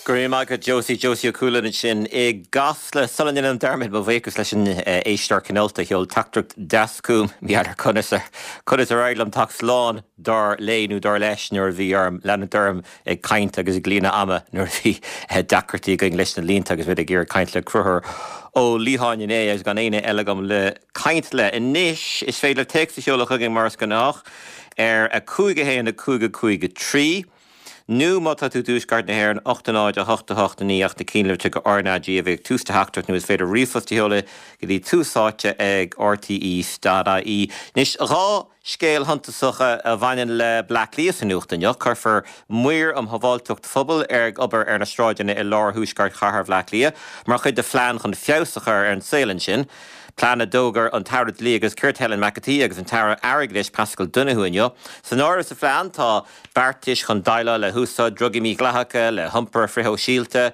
Go raibh maith agat Josie, Josie Ó Cualáin ansin i gCasla. Sula ndéanaim dearmad, mo bhuíochas leis an éisteoir cineálta a sheol teachtaireacht deas chugam, ní fheadar conas ar conas ar éirigh liom teacht slán dar léi nó dar leis nuair a bhí orm leanúint orm ag caint agus ag líonadh ama nuair a bhí deacrachtaí againn leis na línte agus muid ag iarraidh caint le Conchúr Ó Liatháin inné agus gan éinne eile agam le caint le. Anois is féidir libh téacs a sheoladh chugainn mar is gnách ar 5 1 5 5 3. Nó má tá tú i dtuaisceart na hÉireann, 8 0 8 8 9 ach na cinnlitreacha RnaG a bheidh ag tús do theachtaireacht nó is féidir ríomhphost a sheoladh go dtí túsáite ag rte.ie. Anois, 2 scéal shuntasacha a bhaineann le Bleá Cliath sa nuacht inniu. Cuirfear maoir um shábháilteacht phobail ag obair ar na sráideanna i lár thuaisceart chathair Bhleá Cliath mar chuid de phlean chun feabhas a chur ar an saol ansin. Plean a d'fhógair an tAire Dlí agus Cirt Helen McEntee agus an tAire Airgeadais Paschal Donohoe inniu. San áireamh sa phlean tá beartais chun déileáil le húsáid drugaí mídhleathacha, le hiompar frithshóisialta,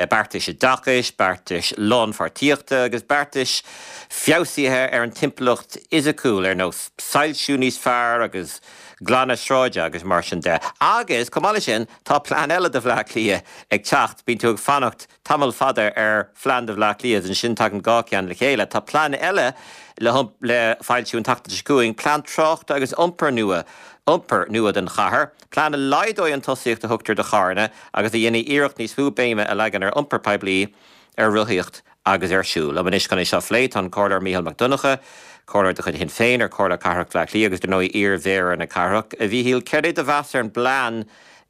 beartais oideachais, beartais lánpháirtíochta agus beartais feabhsaithe ar an timpeallacht fhisiciúil ar nós soilsiú níos fearr agus glanadh sráide agus mar sin de. Agus, chomh maith leis sin, tá plean eile do Bhleá Cliath ag teacht, bíonn tú ag fanacht tamall fada ar phlean do Bhleá Cliath agus ansin tagann 2 cheann le chéile. Tá plean eile le le foilsiú an tseachtain seo chugainn, plean tráchta agus iompair nua, iompair nua don chathair, plean a laghdóidh an tosaíocht a thugtar do charranna agus a dhéanfaidh iarracht níos mó béime a leagan ar iompar poiblí, ar rothaíocht agus ar siúl. Liom anois chun é seo a phlé tá an Comhairleoir Mícheál Mac Donncha, Comhairleoir de chuid Shinn Féin ar Chomhairle Cathrach Bhaile Átha Cliath agus dar ndóigh iar-mhéara na cathrach. A Mhíchíl, céard é do mheas ar an bplean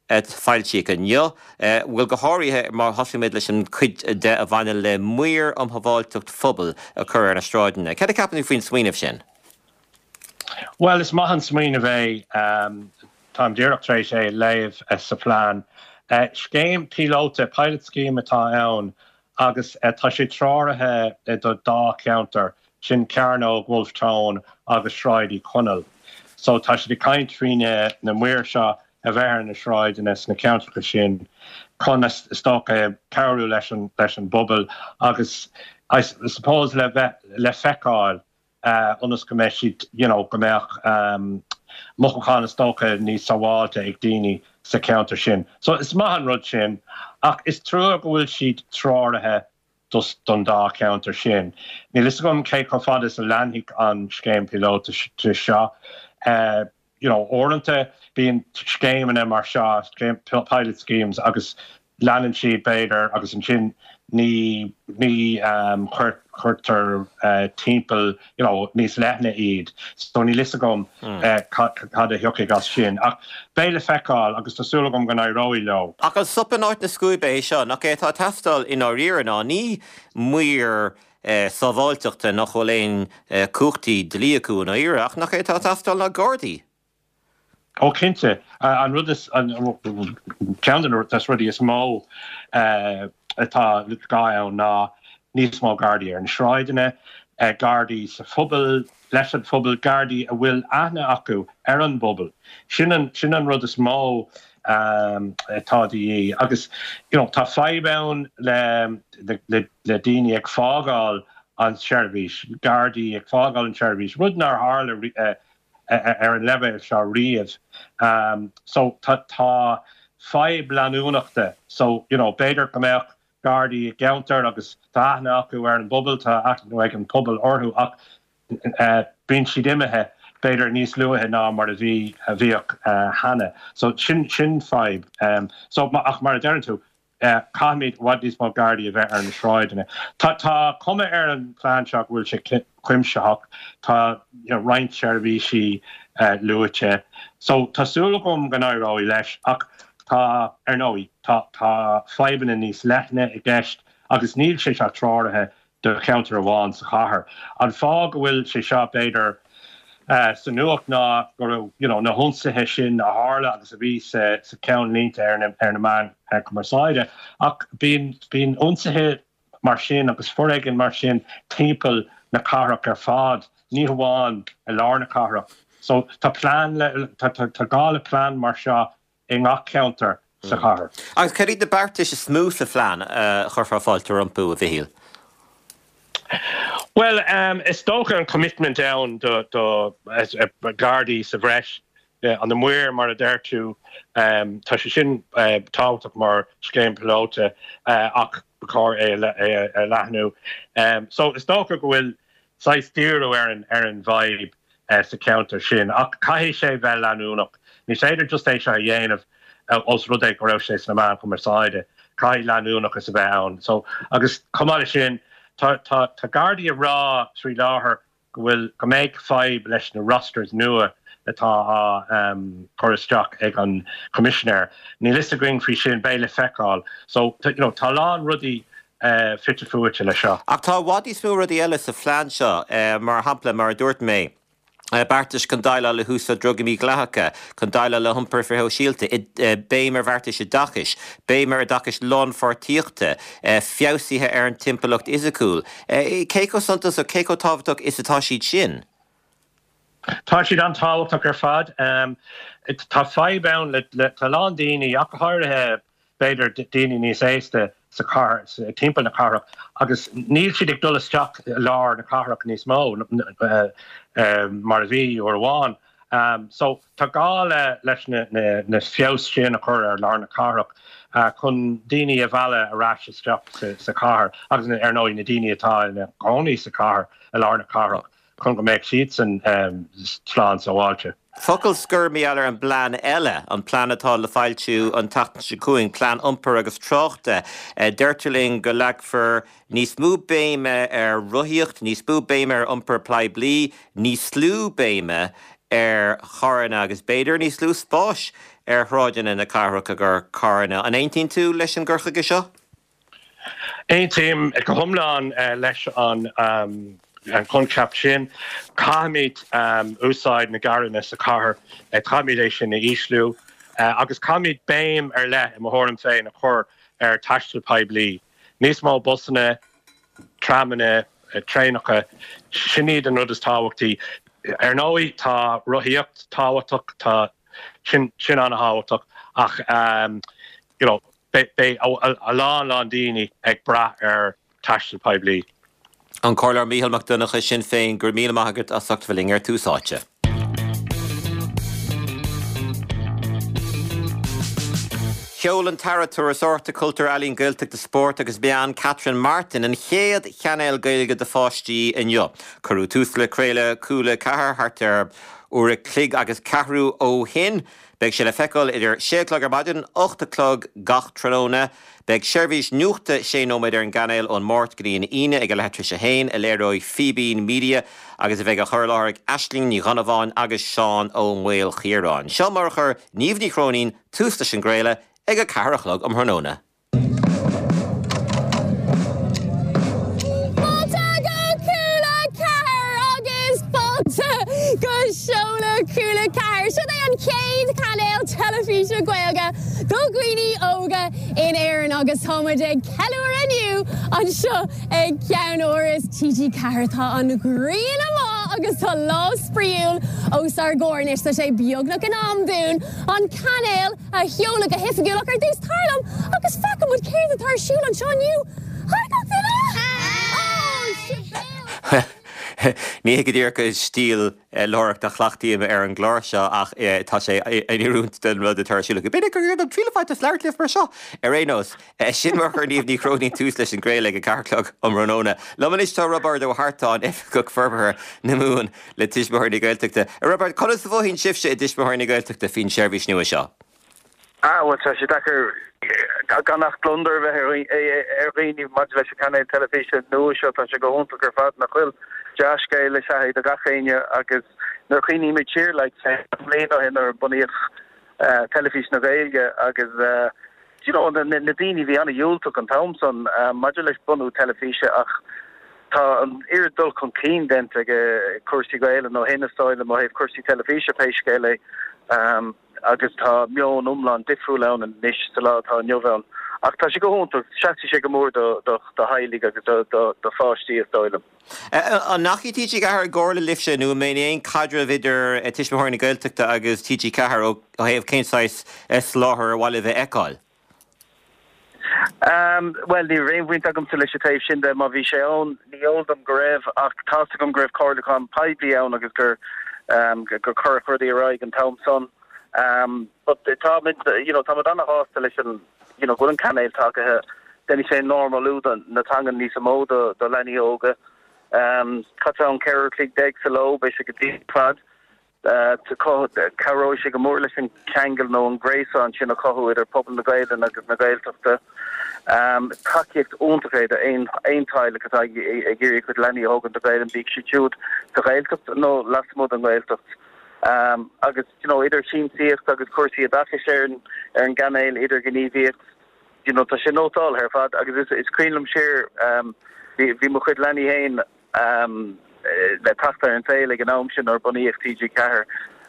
a foilsíodh inniu, bhuel, go háirithe má thosaímid leis an chuid de a bhaineann le maoir um shábháilteacht phobail a chur ar na sráideanna. Céard a cheapann tú faoin smaoineamh sin? Bhuel, is maith an smaoineamh é. Táim díreach tar éis é a léamh sa phlean. Scéim píolóta, pilot scheme, atá ann agus tá sé treoraithe do dá cheantar, sin Cearnóg Wolfe Tone agus Sráid Uí Chonaill. So tá siad ag caint faoi na maoir seo a bheith ar na sráideanna sna ceantracha sin chun, is dócha, cabhrú leis an leis an bpobal agus I suppose le bheith le feiceáil ionas go mbeidh siad you know go mbeadh mothúchán is dócha níos sábháilte ag daoine sa cheantar sin. So is maith an rud sin ach is trua go bhfuil siad treoraithe dos don dá cheantar sin. Níl fhios agam cé chomh fada is a leanfaidh an scéim píolóta seo. You know, uaireanta bíonn scéimeanna mar seo, pilot schemes, agus leanann siad b'fhéidir agus ansin ní ní chuirtear timpeall you know níos leithne iad. So níl fhios agam cad a thiocfaidh as sin. Ach beidh le feiceáil agus tá súil agam go n-éireoidh leo. Ach an sop in áit na scuaibe é seo? Nach é atá ag teastáil i ndáiríre ná ní maoir sábháilteachta nach bhfuil aon chumhachtaí dlí acu i ndáiríre, ach nach é atá ag teastáil ná Gardaí? Ó cinnte. An rud is, ceann de na rudaí is mó atá gá ann ná níos mó Gardaí ar na sráideanna, Gardaí sa phobal, leis an phobal, Gardaí a bhfuil aithne acu ar an bpobal. Sin an, sin an rud is mó atá de dhíth. Agus you know tá fadhb ann le, le, le daoine ag fágáil an tseirbhís, Gardaí ag fágáil an tseirbhís, rud nár tharla ar an leibhéal seo riamh. So tá tá fadhb leanúnachta. So you know b'fhéidir go mbeadh Gardaí i gceantar agus tá aithne acu ar an bpobal, tá aithne ag an pobal orthu ach bíonn siad imithe b'fhéidir níos luaithe ná mar a bhí a bhíodh cheana. So sin sin fadhb. So ach mar a deireann tú, Caithfimid i bhfad níos mó Gardaí a bheith ar na sráideanna. Tá tá cuma ar an phlean seo go bhfuil sé cuimsitheach. Tá roinnt seirbhísí luaite. So tá súil agam go n-éireoidh leis ach tá, ar ndóigh, tá tá fadhbanna níos leithne i gceist agus níl sé seo treoraithe do cheantar amháin sa chathair. An fáth go bhfuil sé seo, b'fhéidir, sa nuacht ná go raibh you know na hionsaithe sin a tharla agus a bhí sa sa ceannlínte ar na ar na meáin cumarsáide ach bíonn bíonn ionsaithe mar sin agus foréigean mar sin timpeall na cathrach ar fad, ní hamháin i lár na cathrach. So tá plean le tá tá gá le plean mar seo i ngach ceantar sa chathair. Agus cad iad na beartais is mó sa phlean a chuirfeá fáilte rompu, a Mhichíl? Bhuel, is dócha an commitment ann do Ghardaí sa bhreis. Na maoir, mar a deir tú, tá sé sin tábhachtach mar scéim píolóta ach ba chóir é a leathnú. So is dócha go bhfuil saghas díriú ar an ar an bhfadhb sa cheantar sin ach caithfidh sé bheith leanúnach. Ní féidir just é seo a dhéanamh os rud é go raibh sé sna meáin chumarsáide. Caithfidh leanúnachas a bheith ann. So agus chomh maith leis sin tá tá tá Gardaí ag rá faoi láthair go bhfuil, go mbeidh fadhb leis na rosters nua atá á chur isteach ag an Choimisinéir. Níl fhios againn faoi sin, beidh le feiceáil. So, you know, tá a lán rudaí fite fuaite leis seo. Ach tá i bhfad níos mó rudaí eile sa phlean seo, mar shampla, mar a dúirt mé, beartais chun déileáil le húsáid drugaí mídhleathacha, chun déileáil le hiompar frithshóisialta, béim ar bheartais oideachais, béim ar oideachais lánpháirtíochta, feabhsuithe ar an timpeallacht fhisiciúil. Cé chomh suntasach, cé chomh tábhachtach is atá siad sin? Tá siad an-tábhachtach ar fad. Tá fadhb ann le, tá a lán daoine, ach go háirithe b'fhéidir daoine níos aosta sa chathair, timpeall na cathrach, agus níl siad ag dul isteach i lár na cathrach níos mó mar a bhí uair amháin. So tá gá le leis na na feabhas sin a chur ar lár na cathrach chun daoine a mhealladh ar ais isteach sa chathair agus ar ndóigh na daoine atá ina gcónaí sa chathair, i lár na cathrach chun go mbeadh siadsan slán sábháilte. Focal scoir mar gheall ar an bplean eile, an plean atá le foilsiú an tseachtain seo chugainn, Plean Iompair agus Tráchta. Deirtear linn go leagfar níos mó béime ar rothaíocht, níos mó béime ar iompar poiblí, níos lú béime ar charranna agus b'fhéidir níos lú spáis ar shráideanna na cathrach i gcomhair carranna. An aontaíonn tú leis an gcur chuige seo? Aontaím go hiomlán leis an choincheap sin. Caithfimid úsáid na gcarranna sa chathair, caithfimid é sin a ísliú agus caithfimid béim ar leith, i mo thuairim féin, a chur ar taisteal poiblí. Níos mó busanna, tramanna, traenacha, sin iad an rud is tábhachtaí. Ar ndóigh, tá rothaíocht tábhachtach, tá sin sin an-thábhachtach ach you know, beidh a lán lán daoine ag brath ar taisteal poiblí. An Comhairleoir Mícheál Mac Donncha, Sinn Féin, go raibh míle maith agat as ucht a bheith linn ar Tús Áite. Sheol an tAire Turasóireachta, Cultúir, Ealaíon, Gaeltachta, Spóirt agus Meán, Catherine Martin, an chéad chainéal Gaeilge do pháistí inniu. Cuireadh tús le craoladh Cúla 4 thart ar uair a chloig agus ceathrú ó shin. Beidh sé le feiceáil idir sé a chlog ar maidin, 8 a chlog gach tráthnóna. Beidh seirbhís nuachta sé nóiméad ar an gcainéal ón Máirt go dtí an Aoine ag a leathuair tar éis a haon, a léireoidh Fíbín Media agus a bheidh á chur i láthair ag Aisling Ní Dhonnabháin agus Seán Ó Maoilchiaráin. Seo mar a chuir Niamh Ní Chróinín tús leis an gcraoladh ag a 4 a chlog um thráthnóna. Fáilte go Cúla 4 agus fáilte go seoladh Cúla 4. Seo é an chéad chainéal teilifíse Gaeilge do dhaoine óga in Éirinn agus tá muid ag ceiliúradh inniu anseo ag ceannáras TG4. Tá an ghrian amuigh agus tá lá spraíúil os ár gcomhair anois. Tá sé beagnach in am dúinn an cainéal a sheoladh go hoifigiúil ach ar dtús tar liom agus feicfidh muid céard atá ar siúl anseo inniu. Hi gach duine! Oh, Sibéal! Ní hé go díreach an stíl láithreachta a chleachtaím ar an gclár seo ach tá sé in oiriúint don rud atá ar siúl acu. B'fhéidir gur an triail a bhaint as labhairt libh mar seo! Ar aon nós, sin mar a chuir Niamh Ní Chróinín tús leis an gcraoladh ag a 4 a chlog um thráthnóna. Liom anois tá Roibeárd Ó hEartáin, Oifigeach Forbartha na Mumhan le Tuismitheoirí na Gaeltachta. A Roibeaird, conas a mhothaíonn sibhse i dTuismitheoirí na Gaeltachta faoin seirbhís nua seo? Ah, bhuel, tá sé deacair gan ach gliondar a bheith ar dhaoine maidir leis an chainéal teilifíse nua seo. Tá sé go hiontach ar fad, nach bhfuil? Dea-scéal is ea é do gach éinne agus nuair a chuimhnímid siar, like, bliain ó shin nuair a bunaíodh Teilifís na Gaeilge agus do you know na daoine bhí an-dhiúltach an t-am san maidir leis bunú teilifíse ach tá an oiread dul chun cinn déanta ag cúrsaí Gaelainne ó shin is dóigh liom ó thaobh cúrsaí teilifíse pé scéal é agus tá meon iomlán difriúil ann anois sa lá atá inniu ann. Ach tá sé go hiontach, seasfaidh sé go mór do theaghlaigh agus do pháistí is dóigh liom. An ndeachaigh TG4 i gcomhairle libhse nó an mbíonn aon caidreamh idir Tuismitheoirí na Gaeltachta agus TG4 ó thaobh cén saghas soláthar ar mhaith libh a fheiceáil? Bhuel, ní raibh aon bhaint agamsa leis an taobh sin de. Má bhí sé ann, ní eol dom go raibh, ach tá's agam go raibh comhairliúchán poiblí ann agus gur. Gur cuireadh rudaí ar aghaidh an t-am san. But táimid, you know, táimid ana-shásta leis an, you know, go bhfuil an cainéal tagaithe. Déanfaidh sé normalú na teangan níos mó do do leanaí óga. Caitear ann 14 uair a chloig sa ló, beidh sé go diail ar fad. Cabhróidh sé go mór leis an cheangal nó an gréasán sin a chothú idir pobal na Gaelainne agus na Gaeltachta. Tacaíocht iontach é d'aon teaghlach atá ag iarraidh a chuid leanaí a thógaint le Gaelainn, bíodh siad siúd sa Ghaeltacht nó lasmuigh den Ghaeltacht. Agus you know idir siamsaíocht agus cúrsaí oideachais ar an gcainéal, idirghníomhaíocht, you know tá sé nótáltha ar fad agus is cuimhin liom siar bhí mo chuid leanaí féin, le teacht ar an saol ag an am sin nuair a bunaíodh TG4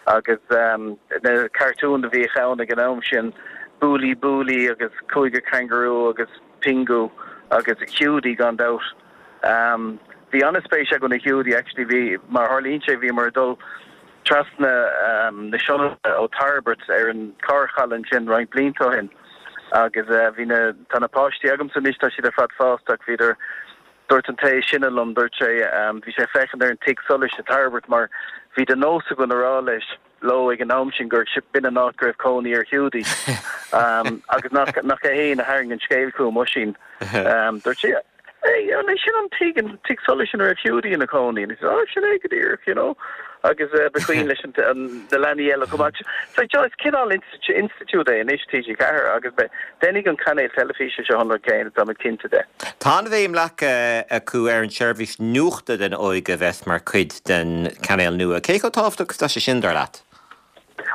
agus na cartúin a bhíodh ann ag an am sin, Búlaí Búlaí agus Cúigear Cangarú agus Pingu agus Hiúdaí gan dabht. Bhí an-spéis againn i Hiúdaí actually, bhí, mar a tharlaíonn sé, bhíomar ag dul trasna na Sionainne ó Tairbeart ar an carrchaladh ansin roinnt blianta ó shin agus bhí na, tá na páistí agamsa anois, tá siad ar fad fásta ach bhíodar, Dúirt an té is sine liom, dúirt sé, bhí sé ag féachaint ar an tigh solais i Tairbeart mar bhí de nós againn a rá leis, leo ag an am sin gur b'in an áit go raibh cónaí ar Hiúdaí. Agus nach, nach é féin a tharraing an scéal chugam, Oisín. Dúirt sé, Hey, an é sin an tigh, an tigh solais ina raibh Hiúdaí ina chónaí? And he said, Oh, sin é go díreach, you know. Agus ba chuimhin leis an, na leanaí eile chomh maith. So, is cineál institiúid é anois TG4 agus déanfaidh an cainéal teilifíse seo an rud céanna, táimid cinnte de. Tá an-bhéim leagtha acu ar an tseirbhís nuachta don óige a bheas mar chuid den chainéal nua. Cé chomh tábhachtach is atá sé sin, dar leat?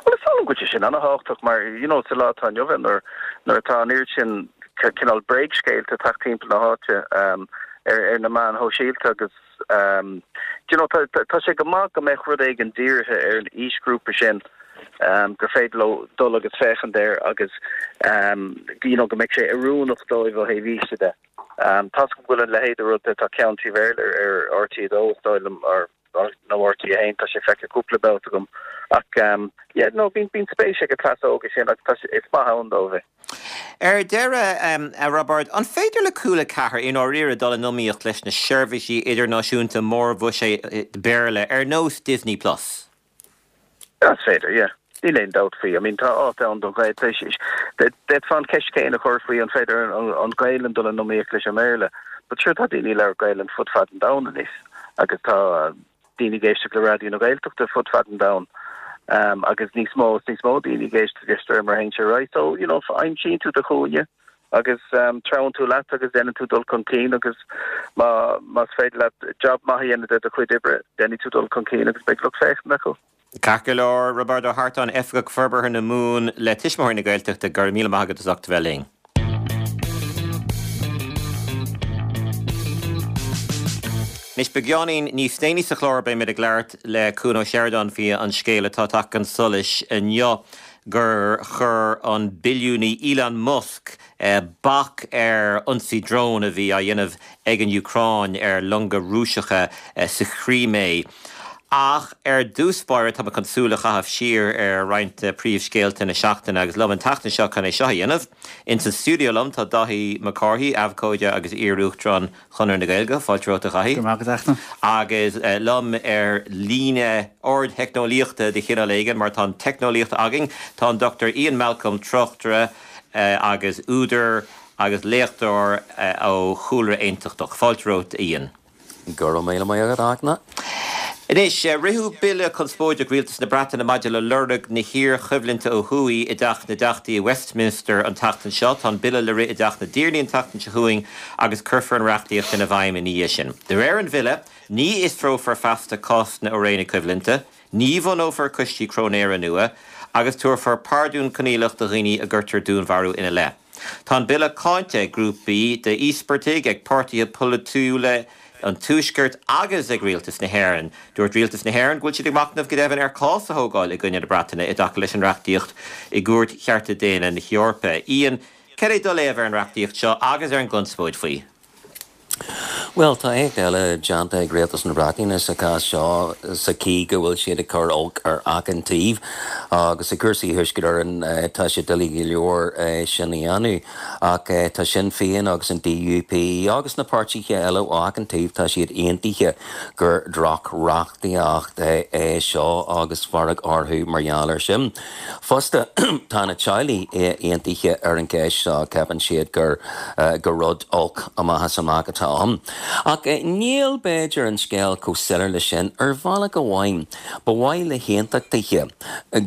Bhuel, is dóigh liom go bhfuil sé sin an-thábhachtach mar, you know, sa lá atá inniu ann nuair, nuair atá an oiread sin cineál bréagscéalta ag teacht timpeall na háite ar, ar na meáin shóisialta agus, do you know, tá, tá sé go maith go mbeadh rud éigin dírithe ar an aoisghrúpa sin gur féidir leo dul agus féachaint air agus, you know, go mbeadh sé oiriúnach dóibh ó thaobh aoise de. Tá's agam go bhfuil an leithéid de rud, tá ceann trí Bhéarla ar RTÉ 2 is dóigh liom, or, nó RTÉ 1, tá sé feicthe cúpla babhta agam ach yeah no bíonn bíonn spéis ag an cleas óga sin agus tá sé is maith ann dóibh é. Ar deireadh, a Roibeaird, an féidir le Cúla 4 i ndáiríre dul in iomaíocht leis na seirbhísí idirnáisiúnta mórbhuiséid Béarla ar nós Disney Plus? Is féidir, yeah. Níl aon dabht faoi. I mean, tá áit ann don Ghaeilge. D'fhéadfá an cheist chéanna a chur faoi an féidir an Ghaelainn dul in iomaíocht leis an mBéarla. But sure, tá daoine ag labhairt Gaelainn fud fad an domhain anois agus tá daoine ag éisteacht le Raidió na Gaeltachta fud fad an domhain agus níos mó is níos mó daoine ag éisteacht leis de réir mar a théann sé ar aghaidh. So, you know, aimsíonn tú do chúinne. agus treabhann tú leat agus déanann tú dul chun cinn agus má más féidir leat jab maith a dhéanamh de do chuid oibre, déanfaidh tú dul chun cinn agus beidh lucht féachana acu. Ceart go leor, Roibeárd Ó hArtáin, Oifigeach Forbartha na Mumhan le Tuismitheoirí na Gaeltachta, go raibh míle maith agat as ucht a bheith linn. Anois, beagáinín níos déanaí sa chlár beimid ag labhairt le Cuan Ó Seireadáin faoi an scéal atá tagtha chun solais inniu gur chuir an billiúnaí Elon Musk bac ar ionsaí drón a bhí á dhéanamh ag an Úcráin ar longa Rúiseacha sa Chrímé. Ach ar dtús báire, tá mé chun súil a chaitheamh siar ar roinnt de phríomhscéalta na seachtaine agus liom an tseachtain seo chun é seo a dhéanamh, ins an stiúideo liom tá Dáithí Mac Cárthaigh, abhcóide agus iar-uachtarán Chonradh na Gaeilge, fáilte romhat a Dhaithí. Go raibh maith agat, a Fhachtna. Agus liom ar líne ardtheicneolaíochta de chineál éigin, mar tá an teicneolaíocht againn, tá an Dr Ian Malcolm, tráchtaire agus údar agus léachtóir ó chúlra aontachtach. Fáilte romhat, a Ian. Go raibh míle maith agat, a Fhachtna. Anois, ritheadh bille conspóideach Rialtas na Breataine maidir le lorg na hiarchoimhlinte ó thuaidh i dTeach na dTeachtaí i Westminster an tseachtain seo. Tá an bille le rith i dTeach na dTiarnaí an tseachtain seo chugainn agus cuirfear an reachtaíocht ina bhfeidhm ina dhiaidh sin. De réir an bhille, ní fhiosrófar feasta cásanna ó ré na coimhlinte, ní bhunófar coistí cróinéara nua agus tabharfar pardún coinníollach do dhaoine a gcuirtear dúnmharú ina leith. Tá an bille cáinte ag grúpaí d'íospartaigh, ag páirtithe polaitiúla an Tuaiscirt agus ag Rialtas na hÉireann. Dúirt Rialtas na hÉireann go bhfuil siad ag machnamh go deimhin ar chás a thógáil i gcoinne na Breataine i dtaca leis an reachtaíocht i gCúirt Chearta Daonna na hEorpa. Ian, cad é do léamh ar an reachtaíocht seo agus ar an gconspóid faoi? Bhuel, tá éacht eile déanta ag Rialtas na Breataine sa chás seo sa chaoi go bhfuil siad ag cur olc ar achan taobh agus i gcúrsaí Thuaisceart Éireann tá sé doiligh go leor sin a dhéanamh ach tá Sinn Féin agus an DUP agus na páirtithe eile ó achan taobh tá siad aontaithe gur droch-reachtaíocht é seo agus fearg orthu mar gheall air sin. Fosta, tá na teaghlaigh aontaithe ar an gceist seo, ceapann siad gur gur rud olc amach is amach atá ann. Ach níl, b'fhéidir, an scéal chomh soiléir leis sin. Ar bhealach amháin, ba mhaith le haontachtaithe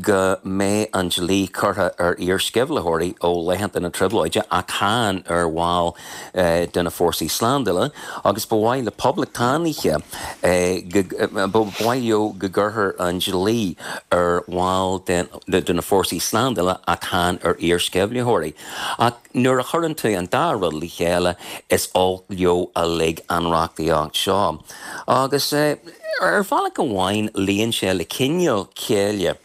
go mbeadh an dlí curtha ar iar-sceimhlitheoirí ó laethanta na Trioblóide ach chan ar bhaill de na fórsaí slándála agus ba mhaith le poblachtánaithe go ba mhaith leo go gcuirfear an dlí ar bhaill de na fórsaí slándála ach chan ar iar-sceimhlitheoirí. Ach nuair a chuireann tú an dá rud le chéile is olc leo uilig an reachtaíocht seo. Agus ar bhealach amháin luíonn sé le cineál céille.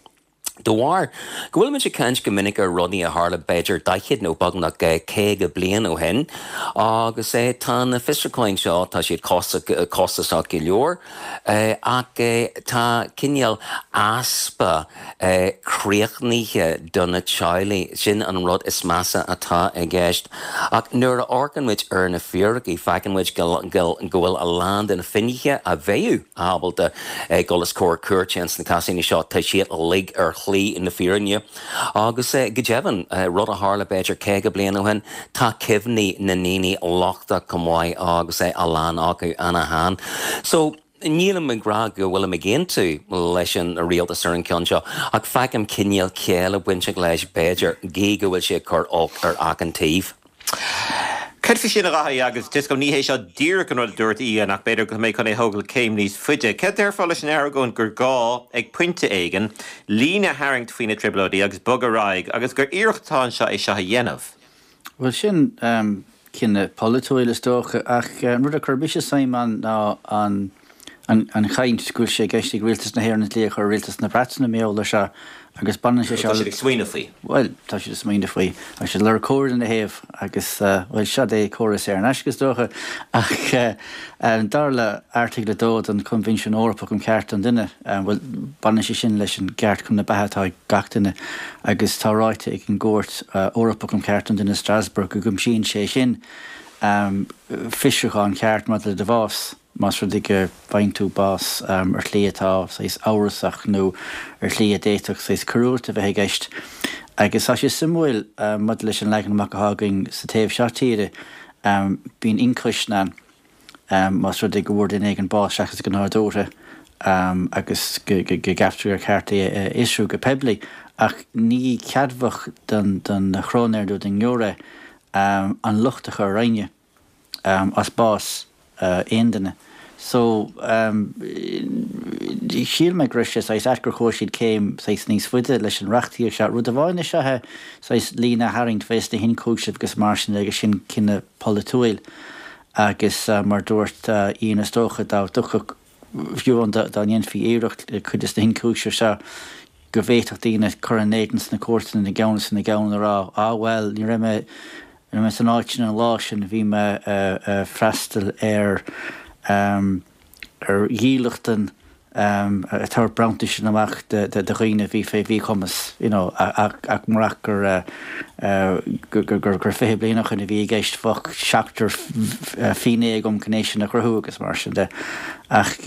De bharr go bhfuilimid ag caint go minic ar rudaí a tharla b'fhéidir 40 nó beagnach 50 bliain ó shin agus tá na fiosrúcháin seo, tá siad costasach go leor ach tá cineál easpa críochnaithe do na teaghlaigh, sin an rud is measa atá i gceist. Ach nuair a amharcann muid ar na fíricí feiceann muid go bhfuil a lán de na finnéithe a bheadh ábalta dul os comhair cúirte ins na cásanna seo, tá siad uilig ar shlí na fírinne. Agus go deimhin, rud a tharla b'fhéidir 50 bliain ó shin, tá cuimhní na ndaoine lochtach chomh maith agus a lán acu ana-shean. So, nílim ag rá go bhfuilim ag aontú leis an rialtas ar an gceann seo, ach feicim cineál céille bainteach leis, b'fhéidir, gí go bhfuil sé ag cur olc ar achan taobh. Cad faoi sin, a Dhaithí, agus tá a fhios agam, ní hé seo díreach an rud a dúirt Ian, ach b'fhéidir go mbeidh chun é a thógáil céim níos faide. Cad déarfá leis an argóint gur gá, ag pointe éigin, líne a tharraingt faoi na Trioblóidí agus bogadh ar aghaidh, agus gur iarracht atá anseo é seo a dhéanamh? Bhuel, sin cinneadh polaitiúil, is dócha, ach an rud a chuir mise suim ann ná an an chaint go bhfuil sé i gceist ag Rialtas na hÉireann an dlí a chur ar Rialtas na Breataine mar gheall air seo agus baineann sé seo. Tá siad ag smaoineamh faoi. Bhuel, tá siad ag smaoineamh faoi. Tá siad ag lorg comhairle ina thaobh agus, bhuel, seod é comhairle saor in aisce is dócha. Ach dar le Airteagal 2 den Choinbhinsiún Eorpach um Chearta an Duine, bhuel, baineann sé sin leis an gceart chun na beatha atá ag gach duine agus tá ráite ag an gCúirt Eorpach um Chearta an Duine i Strasbourg go gcuimsíonn sé sin fiosrúchán ceart maidir le do bhás. Más rud é go bhfaigheann tú bás ar shlí atá saghas amhrasach nó ar shlí a d'fhéadfadh saghas coiriúlacht a bheith i gceist. Agus tá sé suimiúil maidir leis an leagan amach atá againn sa taobh seo tíre, bíonn ionchoisne ann más rud é go bhfuair duine éigin bás seachas go nádúrtha agus go gceaptar gur cheart é a fhiosrú go poiblí. Ach ní ceadmhach don chróinéir nó don ngiúiré an locht a chur ar éinne. as bás aon duine. So, shíl mé go raibh sé saghas ait gur chuaigh siad céim saghas níos faide leis an reachtaíocht seo. Rud amháin is ea é saghas líne a tharraingt fés na hionchúisimh agus mar sin de agus sin cinneadh polaitiúil agus mar dúirt Ian is dócha dá dtiocfadh fiú amháin dá ndéanfaí iarracht le cuid des na hionchúisimh seo go bhféadfadh daoine cur ina n-éadan sna cúirteanna ina gceann is ina gceann a rá, ah bhuel, ní raibh mé, ní raibh mé san áit sin an lá sin, bhí mé ag freastal ar, ar dhílleachtan ag tabhairt bronntais amach do dhaoine a bhí fé mhíchumas, you know, ach murach gur, gur 20 bliain ó shin a bhí i gceist, bheadh seachtar finné agam chun é sin a chruthú agus mar sin de. Ach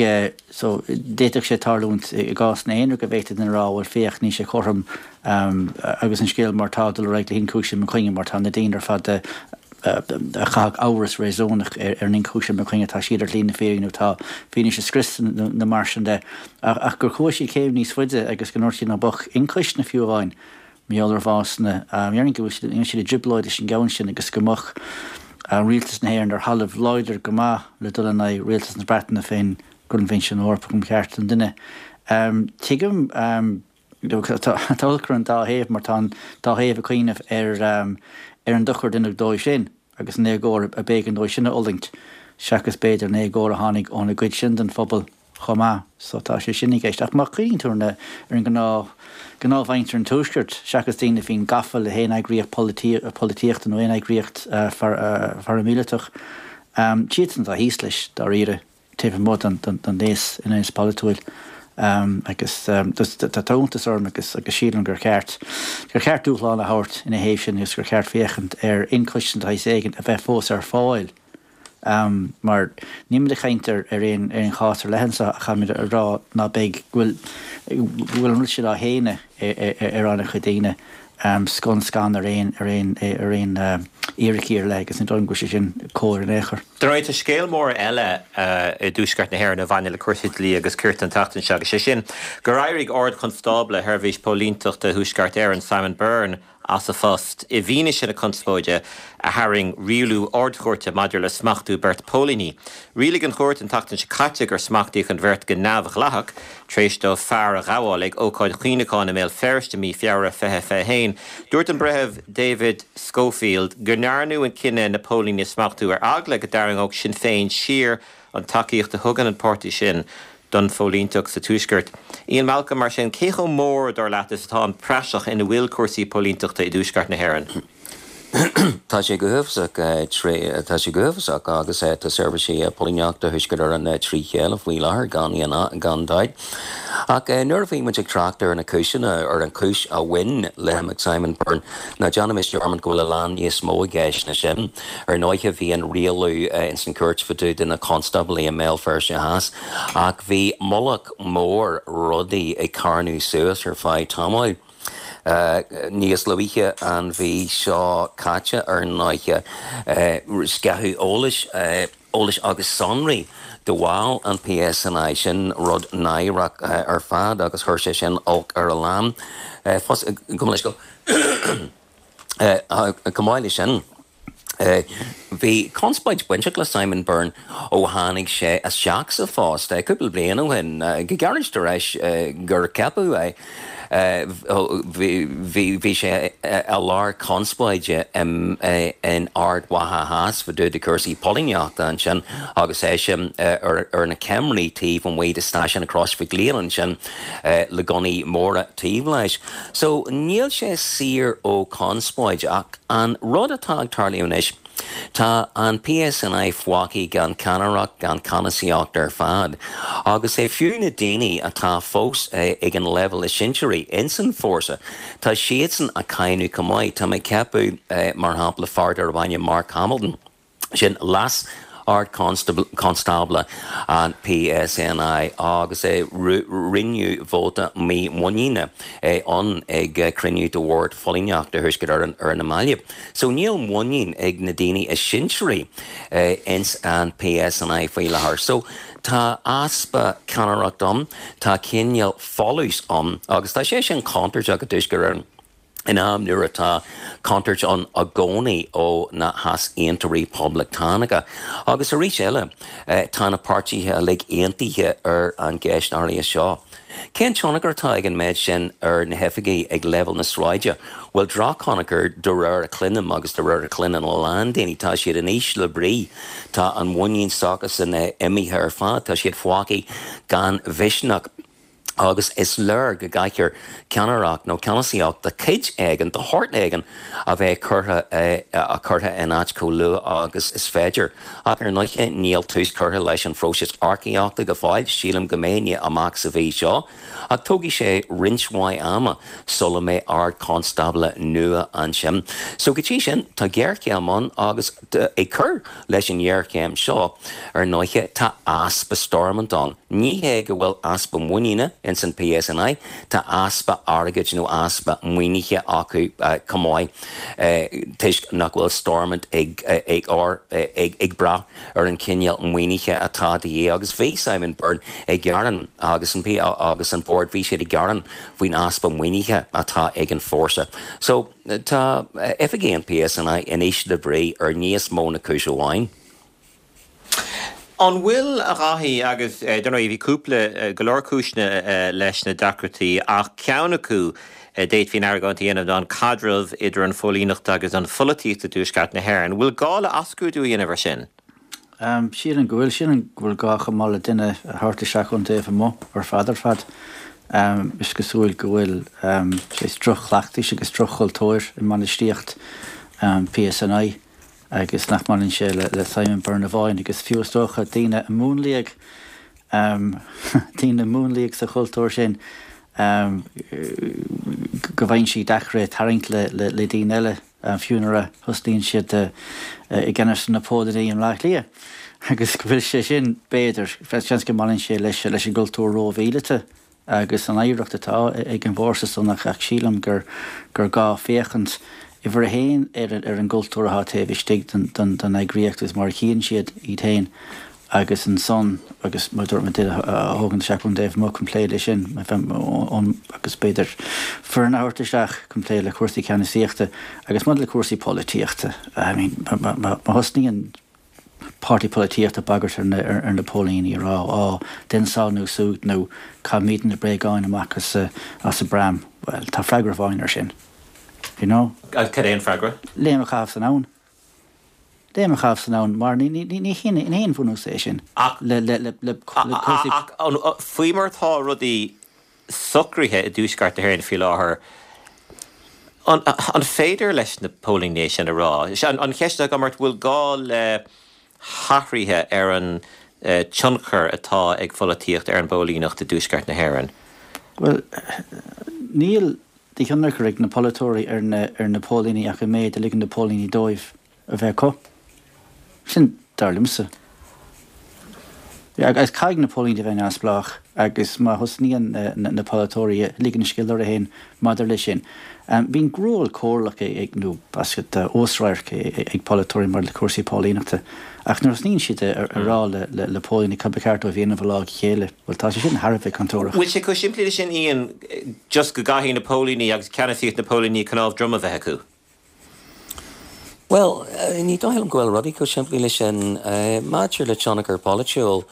so d'fhéadfadh sé tarlúint i gcásanna aonair go bhféadfadh duine a rá bhuel féach níl sé cothrom agus an scéal mar atá dul ar aghaidh le hionchúiseamh i mo choinne mar tá na daoine ar fad a chaithfeadh amhras réasúnach ar an ionchúiseamh i mo choinne tá siad ar shlí na fírinne nó tá fianaise scriosta nó mar sin de. Ach gur chuaigh siad céim níos faide agus go ndúirt siad ná beadh ionchoisne fiú amháin Mar gheall ar bhásanna. Déarfainn go bhfuil siad i dtrioblóid leis an gceann sin agus go mbeadh Rialtas na hÉireann ar thalamh láidir go maith le dul in aghaidh Rialtas na Breataine fén gCoinbhinsiún Eorpach um Chearta an Duine. Tuigim tá olc ar an dá thaobh mar tá an dá thaobh ag cuimhneamh ar ar an dochar a deineadh dóibh sin agus an éagóir a b'éigean dóibh sin a fhulaingt seachas b'fhéidir an éagóir a tháinig óna gcuid sin den phobal. chomh maith. So tá sé sin i gceist. Ach má chuimhníonn tú ar na, ar an ngnáth, gnáthmhuintir an Tuaiscirt, seachas daoine a bhíonn gafa le haon eagraíocht polaitíochta nó aon eagraíocht pharaimíleatach. Siadsan atá thíos leis, dáiríre, taobh amuigh den aos, an aos polaitiúil. Agus tá iontas orm agus sílim gur cheart, gur cheart dúshlán a thabhairt ina thaobh sin agus gur cheart féachaint ar aon choiste de shaghas éigin a bheith fós ar fáil. Mar nílimid ag caint ar aon chás ar leith anseo ach táimid ag rá ná beidh, go bhfuil, go bhfuil an rud sin á shéanadh ar an-chuid daoine, scun scan ar aon, ar aon, ar aon fhíricí ar leith agus ní dóigh liom go bhfuil sé sin cóir in aon chor. Dar ndóigh, tá scéal mór eile i dTuaisceart na hÉireann a bhaineann le cúrsaí dlí agus cirt an tseachtain seo agus sé sin gur éirigh Ard-Chonstábla Sheirbhís Póilíneachta Thuaisceart Éireann, Simon Byrne, as a phost i bhfianaise na conspóide a tharraing rialú Ard-Chúirte maidir le smachtú beirt póilíní. Rialaigh an chúirt an tseachtain seo caite gur smachtaíodh an bheirt go neamhdhleathach tar éis dóibh fear a ghabháil ag ócáid chuimhneacháin i mBéal Feirste i mí Feabhra 2021. Dúirt an Breitheamh David Scoffield go ndearnadh an cinneadh na póilíní a smachtú ar eagla go dtarraingeodh Sinn Féin siar an tacaíocht a thugann an páirtí sin don phóilínteacht sa Tuaisceart. Ian Malcolm, mar sin, cé chomh mór, dar leat, is atá an praiseach ina bhfuil cúrsaí póilínteachta i dTuaisceart na hÉireann? Tá sé go huafásach, tá sé go huafásach agus tá seirbhísí póilíneachta Thuaisceart Éireann trí chéile faoi láthair gan aon gan dabht. Ach nuair a bhí muid ag trácht ar na cúiseanna, ar an chúis a bhain le himeacht Simon Byrne, ná déanaimis dearmad go bhfuil a lán níos mó i gceist ná sin. Ar ndóighe bhí an rialú ins an chúirt fá dtaobh de na constáblaí i mBéal Feirste Theas ach bhí mullach mór rudaí ag carnadh suas ar feadh tamaill. Níos luaithe an mhí seo caite ar ndóighe sceitheadh eolais, eolais agus sonraí de bhaill an PSNI, sin rud náireach ar fad agus chuir sé sin olc ar a lán. Gabh mo leithscéal. Chomh maith leis sin, bhí conspóid bainteach le Simon Byrne ó tháinig sé isteach sa phost cúpla bliain ó shin, go gairid tar éis gur ceapadh é. Bhí sé i lár conspóide in Ard Mhacha Theas fá dtaobh de chúrsaí póilíneachta ansin agus eisean ar na ceamaraí taobh amuigh de stáisiún Chrois Mhic Lionnáin ansin le gunnaí móra taobh leis. So níl sé saor ó chonspóid ach an rud atá ag tarlú anois, tá an PSNI fágtha gan ceannaireacht, gan ceannasaíocht ar fad agus é fiú na daoine atá fós ag an leibhéal is sinsearaí ins an fórsa, tá siadsan ag cáineadh chomh maith. Tá mé ag ceapadh mar shampla fear darb ainm Mark Hamilton, Sin Leas-Ard-Chonstábla an PSNI agus rinneadh vóta mímhuiníne ann ag cruinniú de Bhord Phóilíneachta Thuaisceart Éireann ar na mallaibh. So níl muinín ag na daoine is sinsearaí ins an PSNI faoi láthair. So tá easpa ceannaireacht ann, tá cineál folús ann agus tá sé sin contúirteach i dTuaisceart Éireann. in am nuair atá contúirt ann i gcónaí ó na heasaontóirí poblachtánacha. Agus arís eile, tá na páirtithe uilig aontaithe ar an gceist áirithe seo. Cén tionchar atá ag an méid sin ar na hoifigigh ag leibhéal na sráide? Bhuel, drochthionchar de réir a chluinim agus de réir a chluineann a lán daoine. Tá siad in ísle brí. Tá an mhuinín s'acusan imithe ar fad. Tá siad fágtha gan mhisneach. Agus is léir go gcaithfear ceannaireacht nó ceannasaíocht de chuid éigin, de shórt éigin, a bheith curtha curtha in áit chomh luath agus is féidir. Ach ar ndóighe níl tús curtha leis an phróiseas earcaíochta go fóill, sílim go mbeidh amach sa mhí seo, ach tógfaidh sé roinnt mhaith ama sula mbeidh Ard-Chonstábla nua ansin. So go dtí sin, tá géarchéim ann agus ag cur leis an ngéarchéim seo, ar ndóighe, tá easpa Stormont ann. Ní hé go bhfuil easpa muiníne ins an PSNI, tá easpa airgid nó easpa maoinithe acu chomh maith toisc nach bhfuil Stormont ag ag brath ar an chineál maoinithe atá de dhíth agus bhí Simon Byrne ag gearán agus an agus an Bord, bhí siad ag gearán faoin easpa maoinithe atá ag an fórsa. So. Tá oifigigh an PSNI in ísle brí ar níos mó na cúis amháin. An bhfuil, a Dháithí, agus dar ndóigh bhí cúpla, go leor cúiseanna leis na deacrachtaí ach ceann acu a d'fhéadfaí an argóint a dhéanamh ná an caidreamh idir an phóilíneacht agus an pholaitíocht i dTuaisceart na hÉireann. An bhfuil gá le athscrúdú a dhéanamh ar sin? Sílim go bhfuil. Sílim go bhfuil gá chomh maith le duine a thabhairt isteach ón taobh amuigh ar fad ar fad. Is cosúil go bhfuil saghas droch-chleachtais agus droch-chultúir i mbainistíocht PSNI. agus nach mbaineann sé le Simon Byrne amháin agus fiú is dócha daoine a múnlaíodh, daoine a múnlaíodh sa chultúr sin go bhfaigheann sé deacair é tarraingt le daoine eile fiú nuair a thosnaíonn siad i gceannas ar na póilíní i mBleá Cliath agus go bhfuil sé sin, b'fhéidir, seans go mbaineann sé leis an gcultúr rómhíleata. agus an oidhreacht atá ag an bhfórsa san ach sílim gur gur gá féachaint, uimhir a haon, ar ar an gcultúr atá taobh istigh den den eagraíocht agus mar a chíonn siad iad féin agus ansan agus mar a dúirt mé duine a thógaint isteach ón dtaobh amuigh chun plé leis sin agus b'fhéidir foireann a thabhairt isteach chun plé le cúrsaí ceannasaíochta agus maidir le cúrsaí polaitíochta I mean má thosnaíonn páirtí polaitíochta ag bagairt ar na póilíní a rá á, déan seo nó siúd nó caithfimidne na bréagáin amach as an bpram. Bhuel, tá freagra amháin air sin. You know? Cad é an freagra? Léim a chaitheamh san abhainn. Léim a chaitheamh san abhainn mar ní haon bhunús é sin le cúrsaí. Ach faoi mar atá rudaí socraithe i dTuaisceart na hÉireann faoi láthair, an féidir leis na póilíní é sin a rá? An cheist atá agam ort, bhfuil gá le hathruithe ar an tionchar atá ag pholaitíocht ar an bpóilíneacht i dTuaisceart na hÉireann? Bhuel, níl de thionchar ag na polaiteoirí ar na póilíní ach an méid a ligeann na póilíní dóibh. a bheith acu. Sin dar liomsa. Agus caithfidh na póilíní a bheith neamhspleách agus má thosnaíonn na polaiteoirí ag ligean an scéal orthu féin maidir leis sin, bíonn ról comhairleach ag nó basket uasradharc ag polaiteoirí maidir le cúrsaí póilíneachta ach nuair a thosnaíonn siad a rá le póilíní cad ba cheart dóibh a dhéanamh ó lá go chéile, bhuel tá sé sin thar a bheith contúirteach. Bhfuil sé chomh simplí leis sin Ian, just go gcaithfidh na póilíní agus ceannasaíocht na póilíní cnámh droma a bheith acu? Bhuel, ní dóigh liom go bhfuil rudaí chomh simplí leis sin. Maidir le tionchar polaitiúil,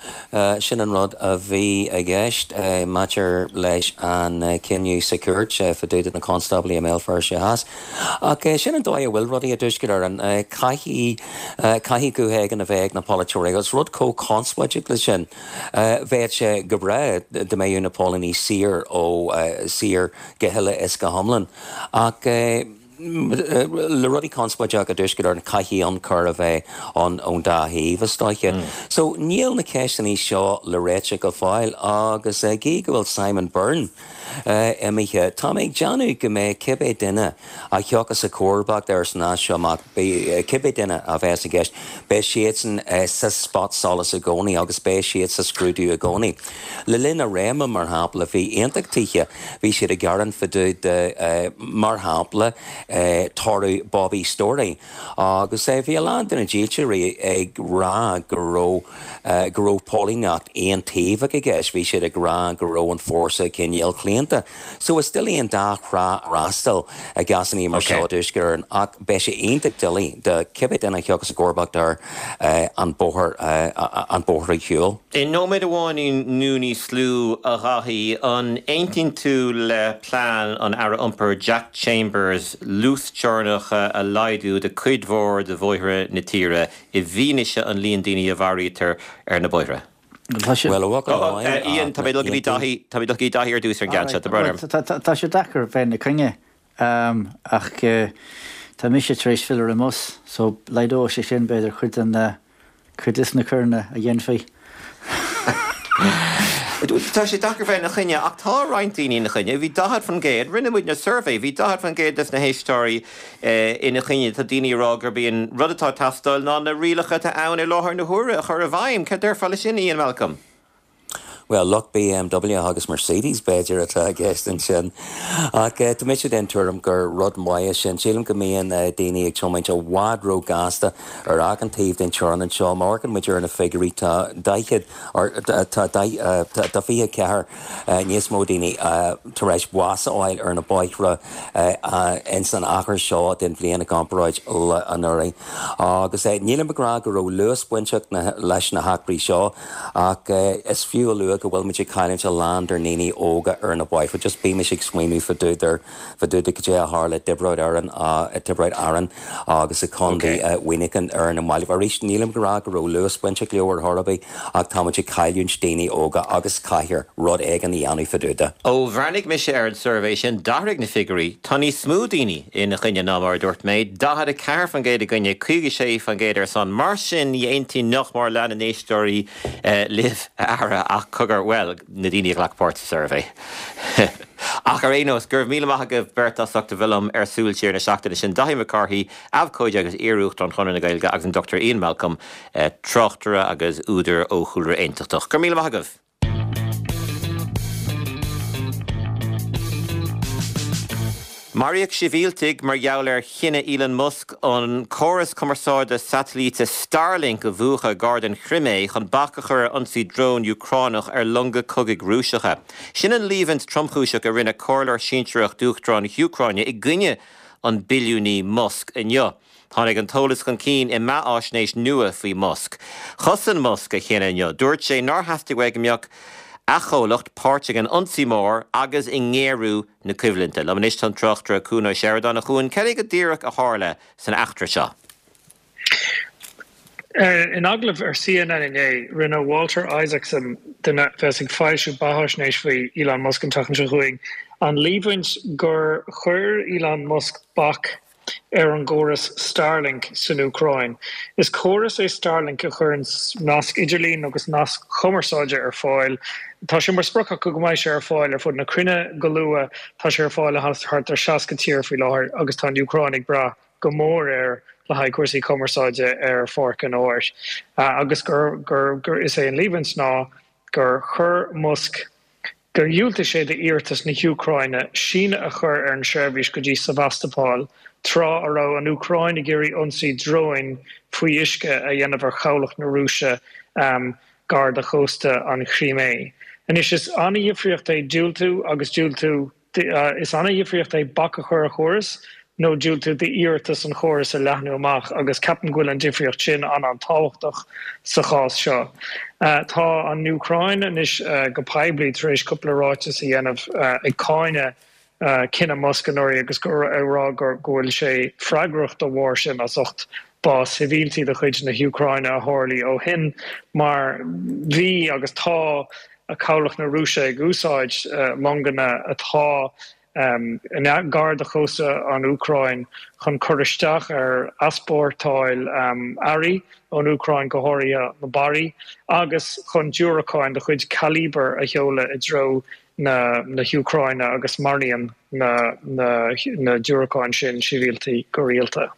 sin an rud a bhí i gceist maidir leis an cinneadh sa chúirt fá dtaobh de na constáblaí i mBéal Feirste Theas. Ach sin an dóigh a bhfuil rudaí i dTuaisceart Éireann. Caithfidh, caithfidh guth éigin a bheith ag na polaiteoirí agus rud chomh conspóideach leis sin, bheadh sé go breá dá mbeadh na póilíní saor ó, saor go huile is go hiomlán. Ach le rudaí conspóideach i dTuaisceart Éireann, caithfidh ionchur a bheith ann ón dá thaobh, is dóiche. So, níl na ceisteanna seo le réiteach go fóill agus gídh go bhfuil Simon Byrne imithe, tá mé ag déanamh go mbeidh cibé duine a thiocfas i gcomharbacht air san as seo amach, cibé duine a bheas i gceist, beidh siadsan sa spotsolas i gcónaí agus beidh siad sa scrúdú i gcónaí. Le linn a réime, mar shampla, bhí aontachtaithe, bhí siad ag gearán fá dtaobh de, mar shampla, toradh Bobby Storey. Agus bhí a lán de na dílseoirí ag rá go raibh, go raibh póilíneacht aontaobhach i gceist, bhí siad ag rá go raibh an fórsa cineál claonta. So is doiligh an dá thrá a fhreastal i gcásanna mar seo i dTuaisceart Éireann ach beidh sé iontach doiligh do cibé duine a thiocfas i gcomharbacht air an bóthar an bóthar a shiúl. I nóiméad amháin nó níos lú, a Dháithí, an aontaíonn tú le plean an Aire Iompair Jack Chambers luasteorainneacha a laghdú do cuid mhór de bhóithre na tíre i bhfianaise an líon daoine a mharaítear ar na bóithre? Bhuel, a bhuachaill amháin, Ian, tá mé ag dul go dtí Dáithí, tá mé ag dul go dtí Dáithí ar dtús ar an gceann seo, tá brón orm. Tá sé deacair bheith ina coinne, ach tá mise tar éis filleadh ar an mbus, so laghdóidh sé sin, b'fhéidir, cuid den, cuid des na coireanna a dhéanfaí. Tá sé deacair bheith ina choinne, ach tá roinnt daoine ina choinne. Bhí 40%, rinne muidne suirbhé, bhí 40% des na héisteoirí ina choinne. Tá daoine ag rá gurb í an rud atá ag teastáil ná na rialacha atá ann i láthair na huaire a chur i bhfeidhm. Cad déarfá leis sin, Ian Malcolm? Bhuel, lucht BMW agus Mercedes, b'fhéidir, atá i gceist ansin. Ach tá mise den tuairim gur rud maith é sin. Sílim go mbíonn daoine ag tiomáint i bhfad ró-ghasta ar achan taobh den teorainn anseo. Má amharcann muid ar na figiúirí, tá 40, tá 24 níos mó daoine tar éis bás a fháil ar na bóithre ins an achar seo den bhliain i gcomparáid le anuraidh. Agus nílim ag rá go raibh luas bainteach leis na heachtraí seo ach is fiú a lua. dócha go bhfuil muid ag cailliúint a lán dár ndaoine óga ar na bóithre. Just bímis ag smaoineamh fá dtaobh de, fá dtaobh de cad é a tharla i dTiobraid Árann, i dTiobraid Árann agus i Contae Mhuineacháin ar na mallaibh. Arís, nílim ag rá go raibh luas bainteach leo ar chor ar bith ach tá muid ag cailliúint daoine óga agus caithfear rud éigin a dhéanamh fá dtaobh de. Ó bhreathnaigh mise ar an suirbhé sin, d'athraigh na figiúirí. Tá níos mó daoine ina choinne ná mar a dúirt mé, 44% i gcoinne, 56% ar son. Mar sin, ní aontaíonn nach mór leath na n-éisteoirí libh, a Aire, ach cogar, bhuel, na daoine a ghlac páirt sa suirbhé. Ach ar aon nós, go raibh míle maith agaibh beirt as ucht a bheith liom ar Súil Siar na seachtaine sin, Daithí Mac Cárthaigh, abhcóide agus iar-Uachtarán Chonradh na Gaeilge agus an Dr Ian Malcolm, tráchtaire agus údar ó chúlra aontachtach. Go raibh míle maith agaibh! Maraíodh sibhialtaigh mar gheall ar chinneadh Elon Musk an córas cumarsáide satailíte Starlink a mhúchadh gar don Chrimé chun bac a chur ar ionsaí drón Úcránach ar longa cogaidh Rúiseacha. Sin an líomhaint tromchúiseach a rinne comhairleoir sinsearach d'Uachtarán na hÚcráine i gcoinne an billiúnaí Musk inniu. Tháinig an t-eolas chun cinn i mbeatháisnéis nua faoi Musk. Chosain Musk a chinneadh inniu. Dúirt sé nár theastaigh uaidh go mbeadh a chomhlacht páirteach in ionsaí mór agus i ngéarú na coimhlinte. Liom anois tá an tráchtaire Cuan Ó Seireadáin. A Chuain, cad é go díreach a tharla san eachtra seo? In agallamh ar CNN inné, rinne Walter Isaacson, duine a bheas ag foilsiú beatháisnéis faoi Elon Musk an tseachtain seo chugainn, an líomhaint gur chuir Elon Musk bac ar an gcóras Starlink san Úcráin. Is córas é Starlink a chuireann nasc idirlín agus nasc cumarsáide ar fáil. Tá sé mar sprioc acu go mbeidh sé ar fáil ar fud na cruinne go luath. Tá sé ar fáil i thart ar 60 tír faoi láthair agus tá an Úcráin ag brath go mór air le haghaidh cúrsaí cumarsáide ar pháirc an áir. Agus gur, gur, gur, is é an líomhaint ná gur chuir Musk, gur dhiúltaigh sé d'iarratas na hÚcráine síneadh a chur ar an seirbhís go dtí Sevastopol tráth a raibh an Úcráin ag iarraidh ionsaí dróin faoi uisce a dhéanamh ar chabhlach na Rúise gar do chósta an Chrímé. Anois, is an-dhifríocht é diúltú agus diúltú. Is an-dhifríocht é bac a chur ar chóras nó diúltú d'iarratas an chórais a leathnú amach agus ceapaim go bhfuil an difríocht sin an-an-tábhachtach sa chás seo. Tá an Úcráin anois go poiblí tar éis cúpla ráiteas a dhéanamh ag cáineadh cinneadh Musk anuraidh agus ag rá go bhfuil sé freagrach dá bharr sin as ucht bás sibhialtaigh de chuid na hÚcráine a tharlaigh ó shin mar bhí agus tá cabhlach na Rúise ag úsáid longanna atá gar do chósta an Úcráin chun cur isteach ar easpórtáil earraí ón Úcráin, go háirithe na barraí, agus chun diúracáin de chuid Kalibr a sheoladh i dtreo na hÚcráine agus maraíonn na diúracáin sin sibhialtaigh go rialta.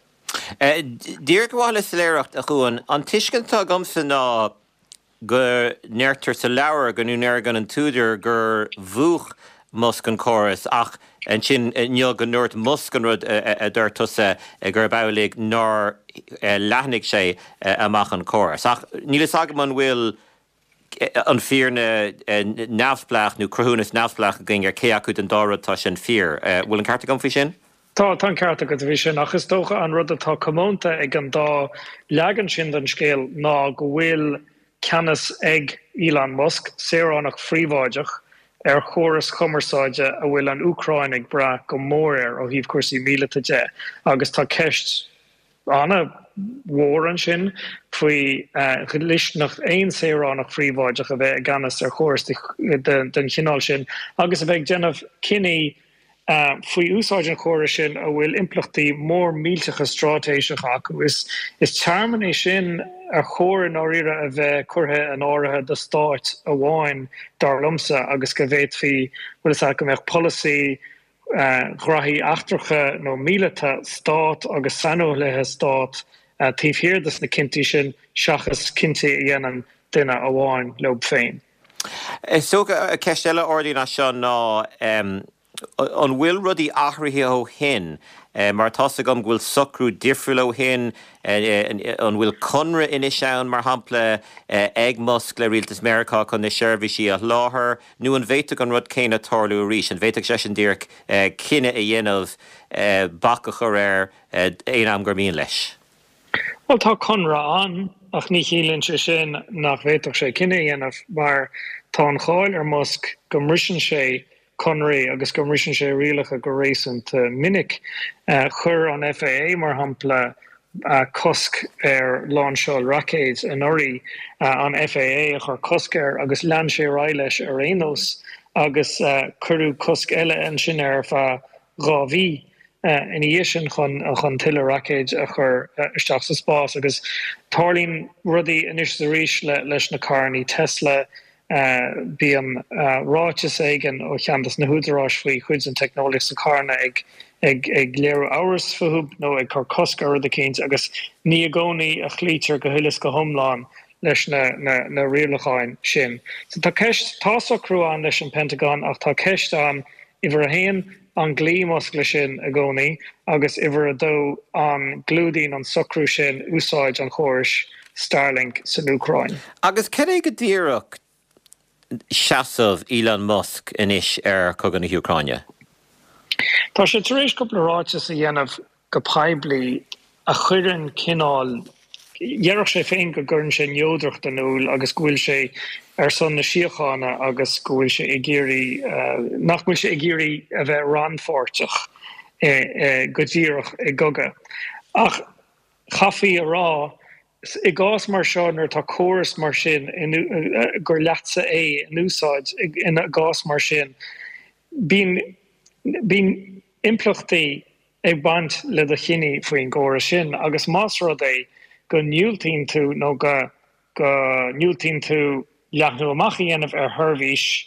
Díreach ar mhaithe le soiléireacht, a Chuain, an tuiscint atá agamsa ná go ndeirtear sa leabhar go ndeir an t-údar gur mhúch Musk an córas ach ansin inniu go ndúirt Musk an rud a dúirt tusa gurb amhlaidh nár leathnaigh sé amach an córas. Ach níl fhios agam an bhfuil an fírinne neamhspleách nó cruthúnas neamhspleách againn ar cé acu den dá rud atá sin fíor. Bhfuil an ceart agam faoi sin? Tá, tá an ceart agat faoi sin, ach is dócha an rud atá comónta ag an dá leagan sin den scéal ná go bhfuil ceannas ag Elon Musk, saoránach phríobháideach, ar chóras chumarsáide a bhfuil an Úcráin ag brath go mór air ó thaobh cúrsaí míleata de agus tá ceist an-mhór ansin faoi dhlisteanacht aon saoránach phríobháideach a bheith i gceannas ar chóras den chineál sin agus a bheith ag déanamh cinní faoi úsáid an chórais sin a bhfuil impleachtaí mór millteacha straitéiseacha acu. Is tearmann é sin ar chóir i ndáiríre a bheith curtha in áirithe do stáit amháin, dar liomsa, agus go bhféadfaí, bhfuil fhios agat, go mbeadh polasaí ghraithí eachtracha nó míleata stát agus saineolaithe stát taobh thiar de na cinntí sin seachas cinntí a dhéanann duine amháin leo féin. Is dócha, ceist eile a ardaíonn as seo ná an bhfuil rudaí athraithe ó shin? Mar tá's agam go bhfuil socrú difriúil ó shin, an bhfuil conradh anois ann, mar shampla, ag Musk le rialtas Meiriceá chun na seirbhísí a sholáthar, nó an bhféadfadh an rud céanna tarlú arís? An bhféadfadh seisean díreach cinneadh a dhéanamh bac a chur air aon am gur mian leis? Bhuel, tá conradh ann, ach ní chiallaíonn sé sin nach bhféadfadh sé cinneadh a dhéanamh, mar. Tá an cháil ar Musk go mbriseann sé conarthaí agus go mbriseann sé rialacha go réasúnta minic. Chuir an FAA, mar shampla, cosc ar láinseáil raicéid anuraidh, an FAA a chuir cosc air agus lean sé ar aghaidh leis ar aon nós agus cuireadh cosc eile ansin air ar feadh 2 mhí ina dhiaidh sin chun tuilleadh raicéid a chur isteach sa spás. Agus tarlaíonn rudaí anois is arís leis na carrannaí Tesla, bíonn ráiteas éigin ó cheann des na húdaráis faoi chuid den teicneolaíocht sna carranna ag ag léiriú amhras fúthu nó ag cur cosc ar rud eicínt agus ní i gcónaí a chloítear go huile is go hiomlán leis na na rialacháin sin. So tá ceist, tá socrú ann leis an Pentagon ach tá ceist ann, uimhir a haon, an gcloí Musk leis sin i gcónaí agus uimhir a dó, an gclúdaíonn an socrú sin úsáid an chórais Starlink san Úcráin. Agus cad é go díreach seasamh Elon Musk anois ar chogadh na hÚcráine? Tá sé tar éis cúpla ráiteas a dhéanamh go poiblí a chuireann cineál, déarfadh sé féin go gcuireann sé neodracht in iúl agus go bhfuil sé ar son na síochána agus go bhfuil sé ag iarraidh, nach bhfuil sé ag iarraidh a bheith rannpháirteach go díreach i gcogadh. Ach chaithfí a rá, i gcás mar seo nuair atá córas mar sin gur leatsa é in úsáid, i gcás mar sin, bíonn, bíonn impleachtaí ag baint le do chinní faoin gcóras sin agus más rud é go ndiúltaíonn tú nó go go ndiúltaíonn tú leathnú amach a dhéanamh ar sheirbhís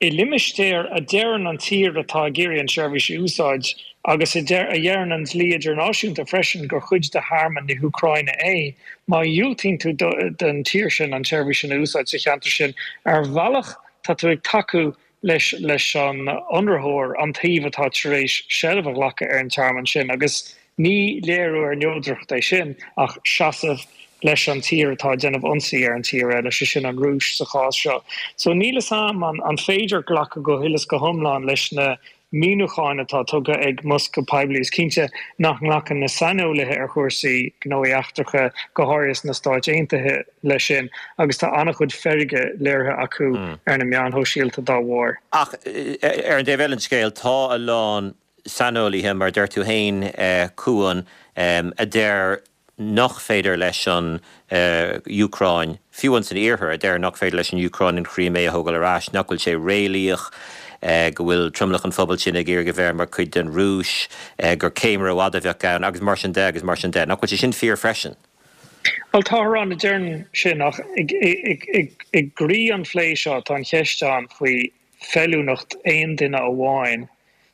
i limistéar a deireann an tír atá ag iarraidh an tseirbhís a úsáid agus a deireann an dlí idirnáisiúnta freisin gur chuid de thearmann na hÚcráine é, má dhiúltaíonn tú don tír sin an tseirbhís sin a úsáid sa cheantar sin, ar bhealach tá tú ag tacú leis leis an ionraitheoir, an taobh atá tar éis seilbh a ghlacadh ar an tearmann sin, agus ní léiriú ar neodracht é sin ach seasamh leis an tír atá ag déanamh ionsaí ar an tír eile, sé sin an Rúis sa chás seo. So níl 'fhios a'm an an féidir glacadh go huile is go hiomlán leis na míniúcháin atá tugtha ag Musk go poiblí. Is cinnte nach nglacann na saineolaithe ar chúrsaí gnóthaí eachtracha, go háirithe sna Stáit Aontaithe, leis sin agus tá an-chuid feirge léirithe acu ar na meáin shóisialta dá bharr. Ach ar an dtaobh eile den scéal, tá a lán saineolaithe, mar a deir tú féin, Cuan, a deir nach féidir leis an Úcráin, fiú ins an iarthar, a deir nach féidir leis an Úcráin an Chrímé a thógáil ar ais, nach bhfuil sé réalaíoch, go bhfuil tromlach an phobail sin ag iarraidh a bheith mar chuid den Rúis, gur céim rófhada a bheadh ann, agus mar sin de, agus mar sin de. Nach bhfuil sé sin fíor freisin? Bhuel, táthar ann a deireann sin, ach i gcroí an phlé seo tá an cheist ann faoi feiliúnacht aon duine amháin,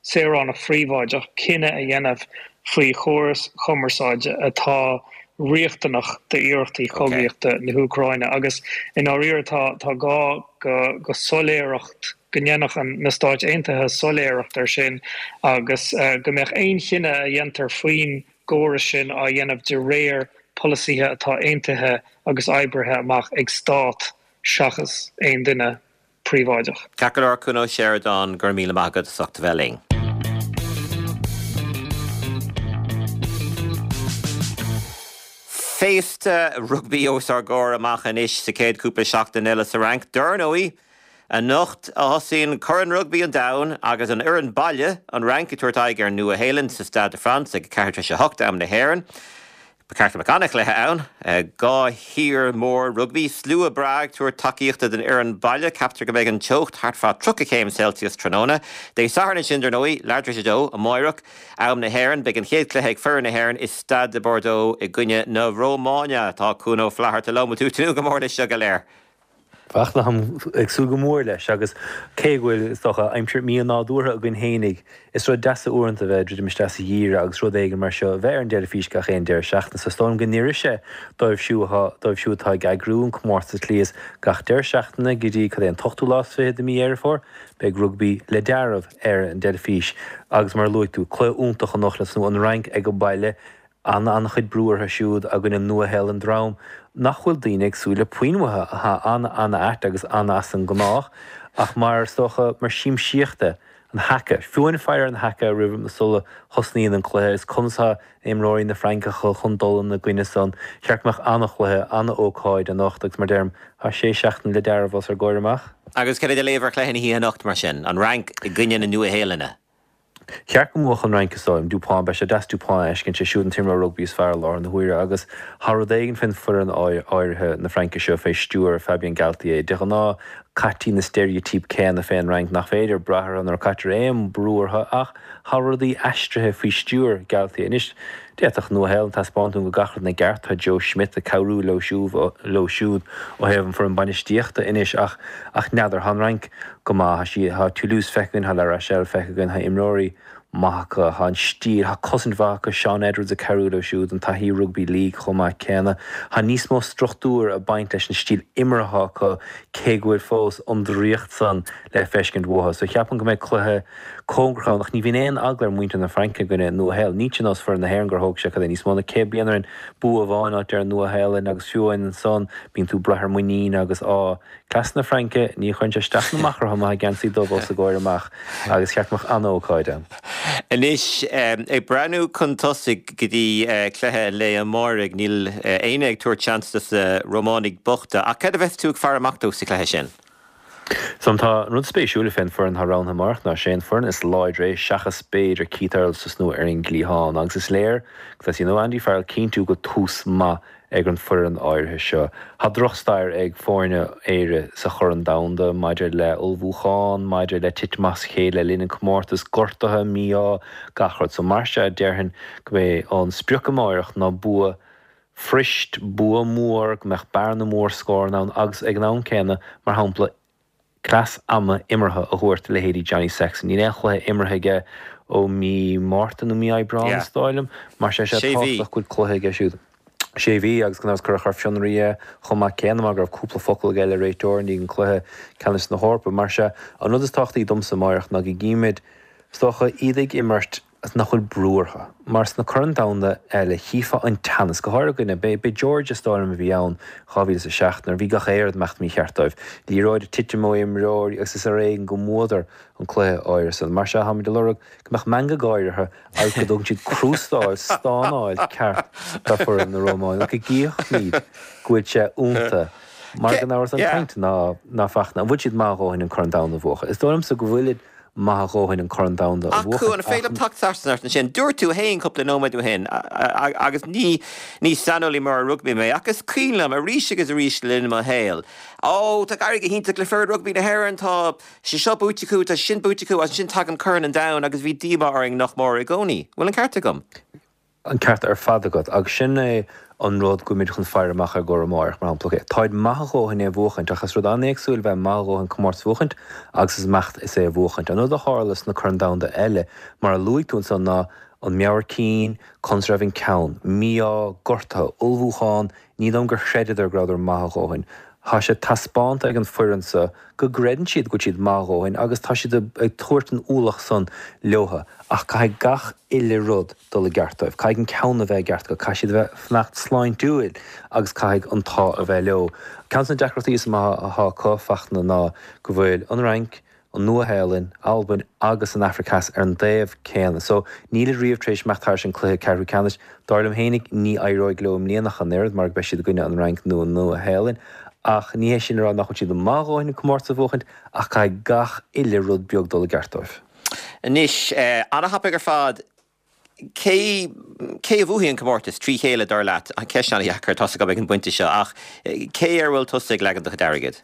saoránach phríobháideach, cinneadh a dhéanamh faoi chóras chumarsáide atá riachtanach d'iarrachtaí cogaíochta na hÚcráine agus i ndáiríre tá tá gá go soiléireacht, go ndéanfadh na Stáit Aontaithe soiléireacht air sin agus go mbeadh aon chinneadh a dhéantar faoin gcóras sin á dhéanamh de réir polasaithe atá aontaithe agus oibrithe amach ag stát seachas aon duine príobháideach. Ceart go leor, Cuan Ó Seireadáin, go raibh míle maith agat as ucht a bheith linn. Féasta rugbaí os ár gcomhair amach anois sa chéad chúpla seachtain eile sa Fhrainc. Dar ndóigh, anocht a thosaíonn Corn Rugbaí an Domhain agus an fhoireann baile, an Fhrainc, ag tabhairt aghaidh ar an Nua-Shéalainn sa Stade de France ag 8:04 am na hÉireann. Ba cheart go mbeadh an-chluiche ann. 2 thír mhór rugbaí, slua breá ag tabhairt tacaíochta don fhoireann baile. Ceaptar go mbeidh an teocht thart fá 30 céim Celsius tráthnóna. Dé Sathairn ansin, dar ndóigh, leath tar éis a dó, amáireach, am na hÉireann, beidh an chéad chluiche ag foireann na hÉireann i Stade de Bordeaux i gcoinne na Rómáine. Tá Cuan Ó Flatharta liom. Bhfuil tú ag tnúth go mór leis seo go léir? Bhuel, táim ag súil go mór leis agus cé go bhfuil, is dócha, aimsir mí-nádúrtha againn fhéinig, is rud deas é uaireanta a bheith ag druidim isteach sa gheimhreadh agus rud éigin mar seo a bheith ar an dteilifís gach aon deireadh seachtaine. So is dóigh liom go n-oirfidh sé dóibh siúd atá, dóibh siúd atá ag eagrú an comórtas slí is gach deireadh seachtaine go dtí, cad é, an t-ochtú lá is fiche de mhí Dheireadh Fómhair, beidh rugbaí le dealramh ar an dteilifís agus mar a luaigh tú, cluiche iontach anocht le tosnú, an Fhrainc ag an baile, An-an-chuid brú orthu siúd againn an Nua-Shéalainn, dream nach bhfuil daoine ag súil le puinn uathu, atá an-an-ait agus an-as an ngnách, ach mar, is dócha, mar siamsaíocht é. an haka. Fiú amháin faire ar an haka roimh sula thosnaíonn an cluiche is conas atá imreoirí na Fraince chun dul ina gcoinne san. Cheart go mbeadh an-chluiche, an-ócáid anocht agus mar deirim, tá sé seachtaine le dealramh os ár gcomhair amach. Agus cad é do léamh ar chluiche na hoíche anocht mar sin? An Fhrainc i gcoinne na Nua-Shéalainne? Cheart go mbuafadh an Fhrainc is dóigh liom. Dupont, beidh sé deas Dupont a fheiscint, sé siúd an t-imreoir rugbaí is fearr i láthair na huaire agus tá rud éigin fén foireann áirithe na Fraince seo fé stiúir Fabien Galthié. De ghnáth caití na steiréitíopaí céanna fén Fhrainc nach féidir brath orthu nuair a caitear aon brú orthu ach tá rudaí aistrithe faoi stiúir Galthié. Anois d'fhéadfadh Nua-Shéalainn taispeáint dúinn go bhfuil gach rud ina gceart, tá Joe Schmidt ag cabhrú leo leo siúd ó thaobh an foireann bainistíochta anois ach ach n'fheadar, tá an Fhrainc go maith, tá sí, tá Toulouse feicthe againn, tá La Rochelle feicthe againn, tá imreoirí maith acu, tá an stíl, tá cosaint mhaith acu, Shaun Edwards ag cabhrú leo siúd, an taithí rugbaí league chomh maith céanna. Tá níos mó struchtúir ag baint leis an stíl imeartha acu cé go bhfuil fós an draíocht san le feiscint uathu. So cheapfainn go mbeidh cluiche cóngarach ann ach ní bhíonn aon eagla ar mhuintir na Fraince i gcoinne Nua-Shéalainn. Níl sé ar nós foireann na hÉireann gur thóg sé cad é níos mó ná 100 bliain orainn bua amháin a fháilt ar an Nua-Shéalainn agus fiú amháin ansan bíonn tú ag brath ar muinín agus á Cleas na Fraince, ní chuireann sé isteach ná amach orthu má tá geansaí dubh os a gcomhair amach agus cheart go mbeadh an-ócáid ann. Anois, ag breathnú chun tosaigh go dtí cluiche an lae amáirigh, níl éinne ag tabhairt seans dos na Rómánaigh bochta, ach cad a bheas tú ag faire amach dó sa chluiche sin? So tá an rud spéisiúil fén foireann atá roghnaithe amárach ná sé an foireann is láidre é seachas b'fhéidir Keith Earls tosnú ar an gcliathán agus is léir go dteastaíonn ó Andy Farrell cinntiú go bhfuil tús maith ag an foireann áirithe seo. Tá drochstair ag foirne Éire sa Chorn Domhanda maidir le ullmhúchán, maidir le titim as a chéile le linn an comórtas, gortuithe, mí-ádh, gach rud. So mar sea déarfainn go mbeidh an sprioc amáireach ná bua fuirist, bua mór, go mbeadh bearna mór scóranna ann agus ag an am céanna, mar shampla, cleas ama imeartha a thabhairt do leithéidí Johnny Sexton. Níl aon chluiche imeartha aige ó mí Márta nó mí Aibreáin, is dóigh liom. Mar sin sé tábhachtach go bhfuil cluiche aige siúd. Sé mhí agus gan amhras cuireadh ar fionraí é chomh maith céanna mar go raibh cúpla focal aige le réiteoir i ndiaidh an cluiche ceannais na hEorpa. Mar sea, an rud is tábhachtaí domsa amáireach ná go gcímid, is dócha, iad ag imirt agus nach bhfuil brú orthu. Mar sna Coirn Domhanda eile, chífeá an teannas, go háirithe i gcoinne, b'é Georgia is dóigh liom a bhí ann, 2007, nuair a bhí gach aon rud ag imeacht mícheart dóibh. Liathróid ag titim ó imreoirí agus is ar éigean go mbuadar an cluiche áirithe san. Mar sea, táimid ag lorg go mbeadh meangadh gáire orthu agus go dtugann siad crústáil, stánáil ceart do foireann na Rómáine go gcífimid go bhfuil sé iontu. Mar gan amhras an chaint ná ná Fachtna, an bhfuil siad maith a dhóthain an Corn Domhanda a bhuachan? Is dóigh liomsa go bhfuilid. maith a dhóthain an Corn Domhanda a Ach bhuachan an féidir liom teacht trasna ort ansin? Dúirt tú fhéin cúpla nóiméad ó shin, agus ní ní saineolaí mór ar rugbaí mé, ach is cuimhin liom arís agus arís le linn mo shaoil, Ó, tá ag éirí go hiontach le foireann rugbaí na hÉireann, tá sé seo buaite acu, tá sin buaite acu, agus ansin tagann Corn an Domhain agus bhí díomá orainn nach mór i gcónaí. Bhfuil an ceart agam? An ceart ar fad agat, agus sin é an rud go bhfuilimid chun faire amach ar gcomhair amáireach, mar shampla. Ok, táid maith a dhóthain é a bhuachaint, ach is rud an-éagsúil bheith maith a dhóthain comórtas a bhuachaint agus is imeacht is é a bhuachaint. An rud a tharla sna Coirn Domhanda eile, mar a luaigh tú ansan, ná an meabhair cinn, conas a raibh an ceann, mí-ádh, gortuithe, ullmhúchán, ní dóigh liom gur chreideadar go rabhadar maith a dhóthain. Tá sé taispeánta ag an foireann so go gcreideann siad go bhfuil siad maith a dhóthain agus tá siad ag tabhairt an ualach san leotha ach caithfidh gach uile rud dul i gceart dóibh. Caithfidh an ceann a bheith i gceart acu, caithfidh siad a bheith fanacht sláintiúil agus caithfidh an t-ádh a bheith leo. Ceann de na deacrachtaí is mó atá acu, Fachtna, ná go bhfuil an Fhrainc, an Nua-Shéalainn, Albain agus an Afraic Theas ar an dtaobh céanna. So, nílid riamh tar éis imeacht thairis an cluiche ceathrú ceannais. Dar liom fhéinig, ní éireoidh leo i mbliana ach an oiread, mar go beidh siad i gcoinne an Fhrainc nó an Nua-Shéalainn. Ach ní hé sin a rá nach bhfuil siad maith a dhóthain an comórtas a bhuachaint, ach caithfidh gach uile rud beag dul i gceart dóibh. Anois, ana-thapaidh ar fad. Cé cé a bhuafaidh an comórtas trí chéile, dar leat? Ceist an-dheacair, tá's agam ag an bpointe seo, ach cé ar a bhfuil tusa ag leagan do chuid airgid?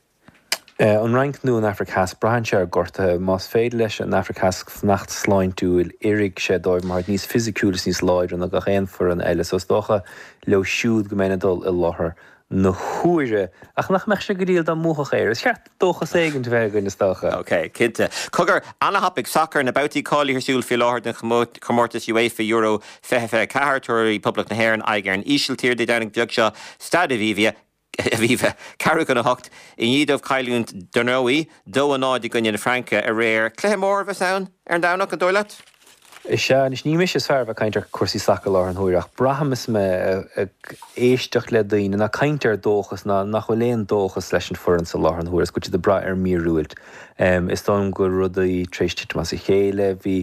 An Fhrainc nó an Afraic Theas, braitheann sé ar gortuithe. Más féidir leis an Afraic Theas fanacht sláintiúil, oirfidh sé dóibh mar táid níos fisiciúil is níos láidre ná gach aon foireann eile, so is dócha leo siúd go mbeinn ag dul i láthair na huaire. Ach nach mbeadh sé go diail dá mbuafadh Éire? Is ceart dóchas éigin a bheith againn, is dócha. Ok, cinnte. Cogar, ana-thapaidh, sacar, na babhtaí cáilithe ar siúl faoi láthair don chomórtas UEFA Euro 2024. Tabharfaidh Poblacht na hÉireann aghaidh ar an Ísiltír Dé Domhnaigh beag seo, Staid Aviva, Aviva, ceathrú chun a hocht, i ndiaidh dóibh cailliúint, dar ndóigh, 2-0 i gcoinne na Fraince aréir. Cluiche mór a bheas ann ar an Domhnach, an dóigh leat? Is ea, anois ní mise is fearr a bheith ag caint ar chúrsaí sacair i láthair na huaire ach braithim is mé ag éisteacht le daoine ná caint ar dóchas ná nach bhfuil aon dóchas leis an foireann so i láthair na huaire is go bhfuil siad ag brath ar mhíorúilt. Is dóigh liom go bhfuil rudaí tar éis titim as a chéile. Bhí,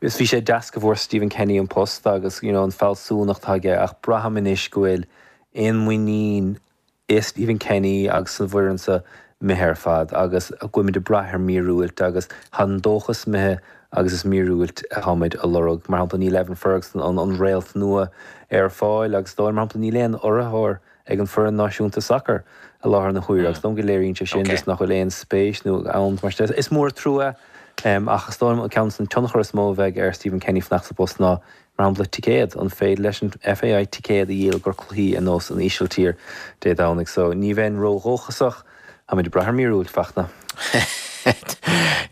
is bhí sé deas go bhfuair Stephen Kenny an post agus you know an fealsúnacht atá aige ach braithim anois go bhfuil aon muinín i Stephen Kenny agus san bhfoireann so imithe ar fad agus go bhfuilimid ag brath ar mhíorúilt agus tá an dóchas imithe agus is míorúilt atáimid a lorg. Mar shampla níl Evan Ferguson, an réalt nua, ar fáil agus dóigh mar shampla níl aon urraitheoir ag an foireann náisiúnta sacair i láthair na huaire agus dóigh liom go léiríonn sé sin just nach bhfuil aon spéis nó ann mar sin. Is mór an trua é ach is dóigh liom ceann de na tionchar is mó a bheidh ar Stephen Kenny fanacht sa bpost ná Mar shampla, ticéad, an féidir leis an FAI ticéad a dhíol do chluichí ar nós an Ísiltír Dé Domhnaigh? So, ní bheinn ró-dhóchasach. Táimid ag brath ar mhíorúilt, Fachtna.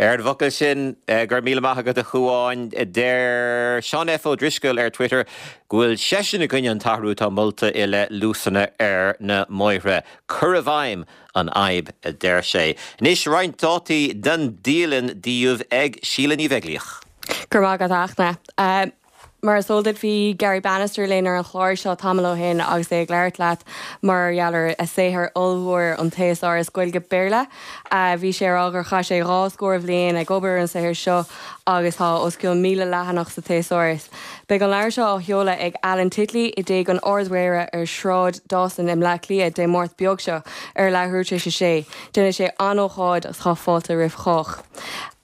Ar an bhfocal sin, go raibh míle maith agat a Chuáin. Deir Seán F. Ó Drisceoil ar Twitter go bhfuil seisean i gcoinne an t-athrú atá molta i leith luasanna ar na mbóithre. Cur i bhfeidhm an fhadhb, a deir sé. Anois roinnt dátaí den dialann daoibh ag Síle Ní Bheaglaoich. Go raibh maith agat, a Fhachtna. Mar is eol duit, bhí Garry Bannister linn ar an chlár seo tamall ó shin agus é ag labhairt leat mar gheall ar a saothar ollmhór, An Théasáras Gaeilge-Béarla. Bhí sé ag rá gur chaith sé dhá scór bhliain ag obair ar an saothar seo agus tá os cionn 1,000 leathanach sa Théasáras. Beidh an leabhar seo á sheoladh ag Alan Titley i dTigh an Ard-Mhéara ar Shráid Dawson i mBleá Cliath Dé Máirt beag seo ar leathuair tar éis a sé. Déanfaidh sé an-ócáid agus tá fáilte roimh chách.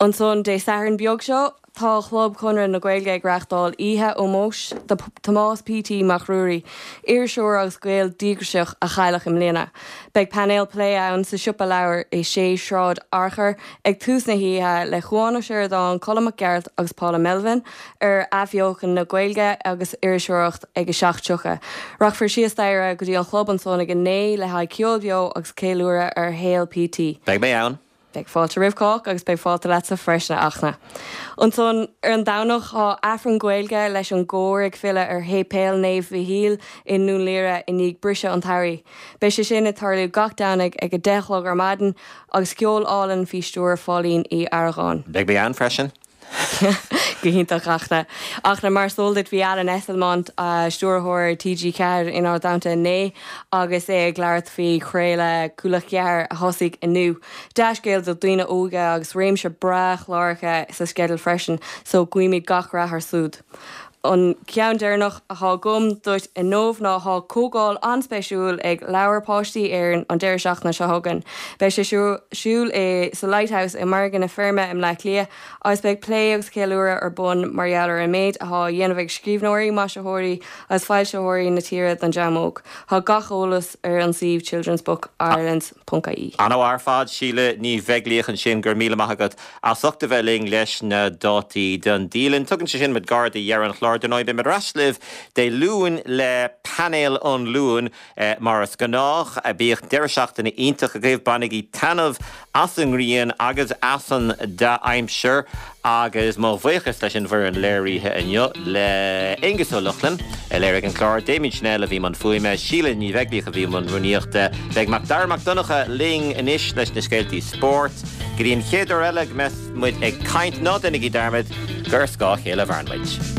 Ansan Dé Sathairn beag seo, tá Club Chonradh na Gaeilge ag reáchtáil oíche ómóis do Thomás P.T. Mac Ruairí, iriseoir agus Gael díograiseach a cailleadh i mbliana. Beidh painéal plé ann sa Siopa Leabhar i 6 Sráid Fhearchair ag tús na hoíche le Cúán Ó Seireadáin, Colm Mac Gearailt agus Paula Melvin ar athbheochan na Gaeilge agus iriseoireacht ag 7:30. Rachfar síos staighre go dtí an chlub ansan ag 9 le haghaidh ceol beo agus ceiliúradh ar shaol P.T. Beidh mé ann. Beidh fáilte roimh chách agus beidh fáilte leatsa freisin, a Fhachtna. Ansan, ar an Domhnach, tá Aifreann Gaeilge leis an gcór ag filleadh ar Shéipéal Naomh Mhichíl i nDún Laoghaire i ndiaidh briseadh an tsamhraidh. Beidh sé sin ag tarlú gach Domhnaigh ag 10 a chlog ar maidin agus ceol álainn faoi stiúir Pháilín Uí Argáin. Beidh mé ann freisin. Go hiontach, a Fhachtna. A Fhachtna, mar is eol duit, bhí Alan Esslemont, stiúrthóir TG4 inár dteannta inné agus é ag labhairt faoi chraoladh Cúla 4 a thosaigh inniu. Dea-scéal do dhaoine óga agus réimse breá chláracha sa sceideal freisin, so guímid gach rath air siúd. An ceann deireanach atá agam duit inniu ná tá comhdháil an-spéisiúil ag Leabhair Páistí Éireann an deireadh seachtaine seo chugainn. Beidh sé ar siúl i sa Lighthouse i Margadh na Feirme i mBleá Cliath agus beidh plé agus ceiliúradh ar bun mar gheall ar an méid atá á dhéanamh ag scríbhneoirí, maisitheoirí agus foilsitheoirí na tíre don dream óg. Tá gach eolas ar an suíomh childrensbookireland ponc ie. An-mhaith ar fad, Síle Ní Bheaglaoich ansin, go raibh míle maith agat as ucht a bheith linn leis na dátaí don dialann. Tugann sé sin muid gar do dheireadh an chláir. Dar ndóigh, beidh muid ar ais libh Dé Luain le Painéal an Luain mar is gnách. Bíodh deireadh seachtaine iontach agaibh. Bainigí taitneamh as an ngrian agus as an dea-aimsir agus mo bhuíochas leis an bhfoireann léirithe inniu, le Aonghus Ó Lochlainn a léirigh an clár, Damien Channel a bhí i mbun fuaime, Síle Ní Bheaglaoich a bhí i mbun rúnaíochta. Beidh Macdara Mac Donncha linn anois leis na scéaltaí spóirt. Go dtí an chéad uair eile go mbeas muid ag caint, ná déanaigí dearmad gur ar scáth a chéile a mhaireann muid.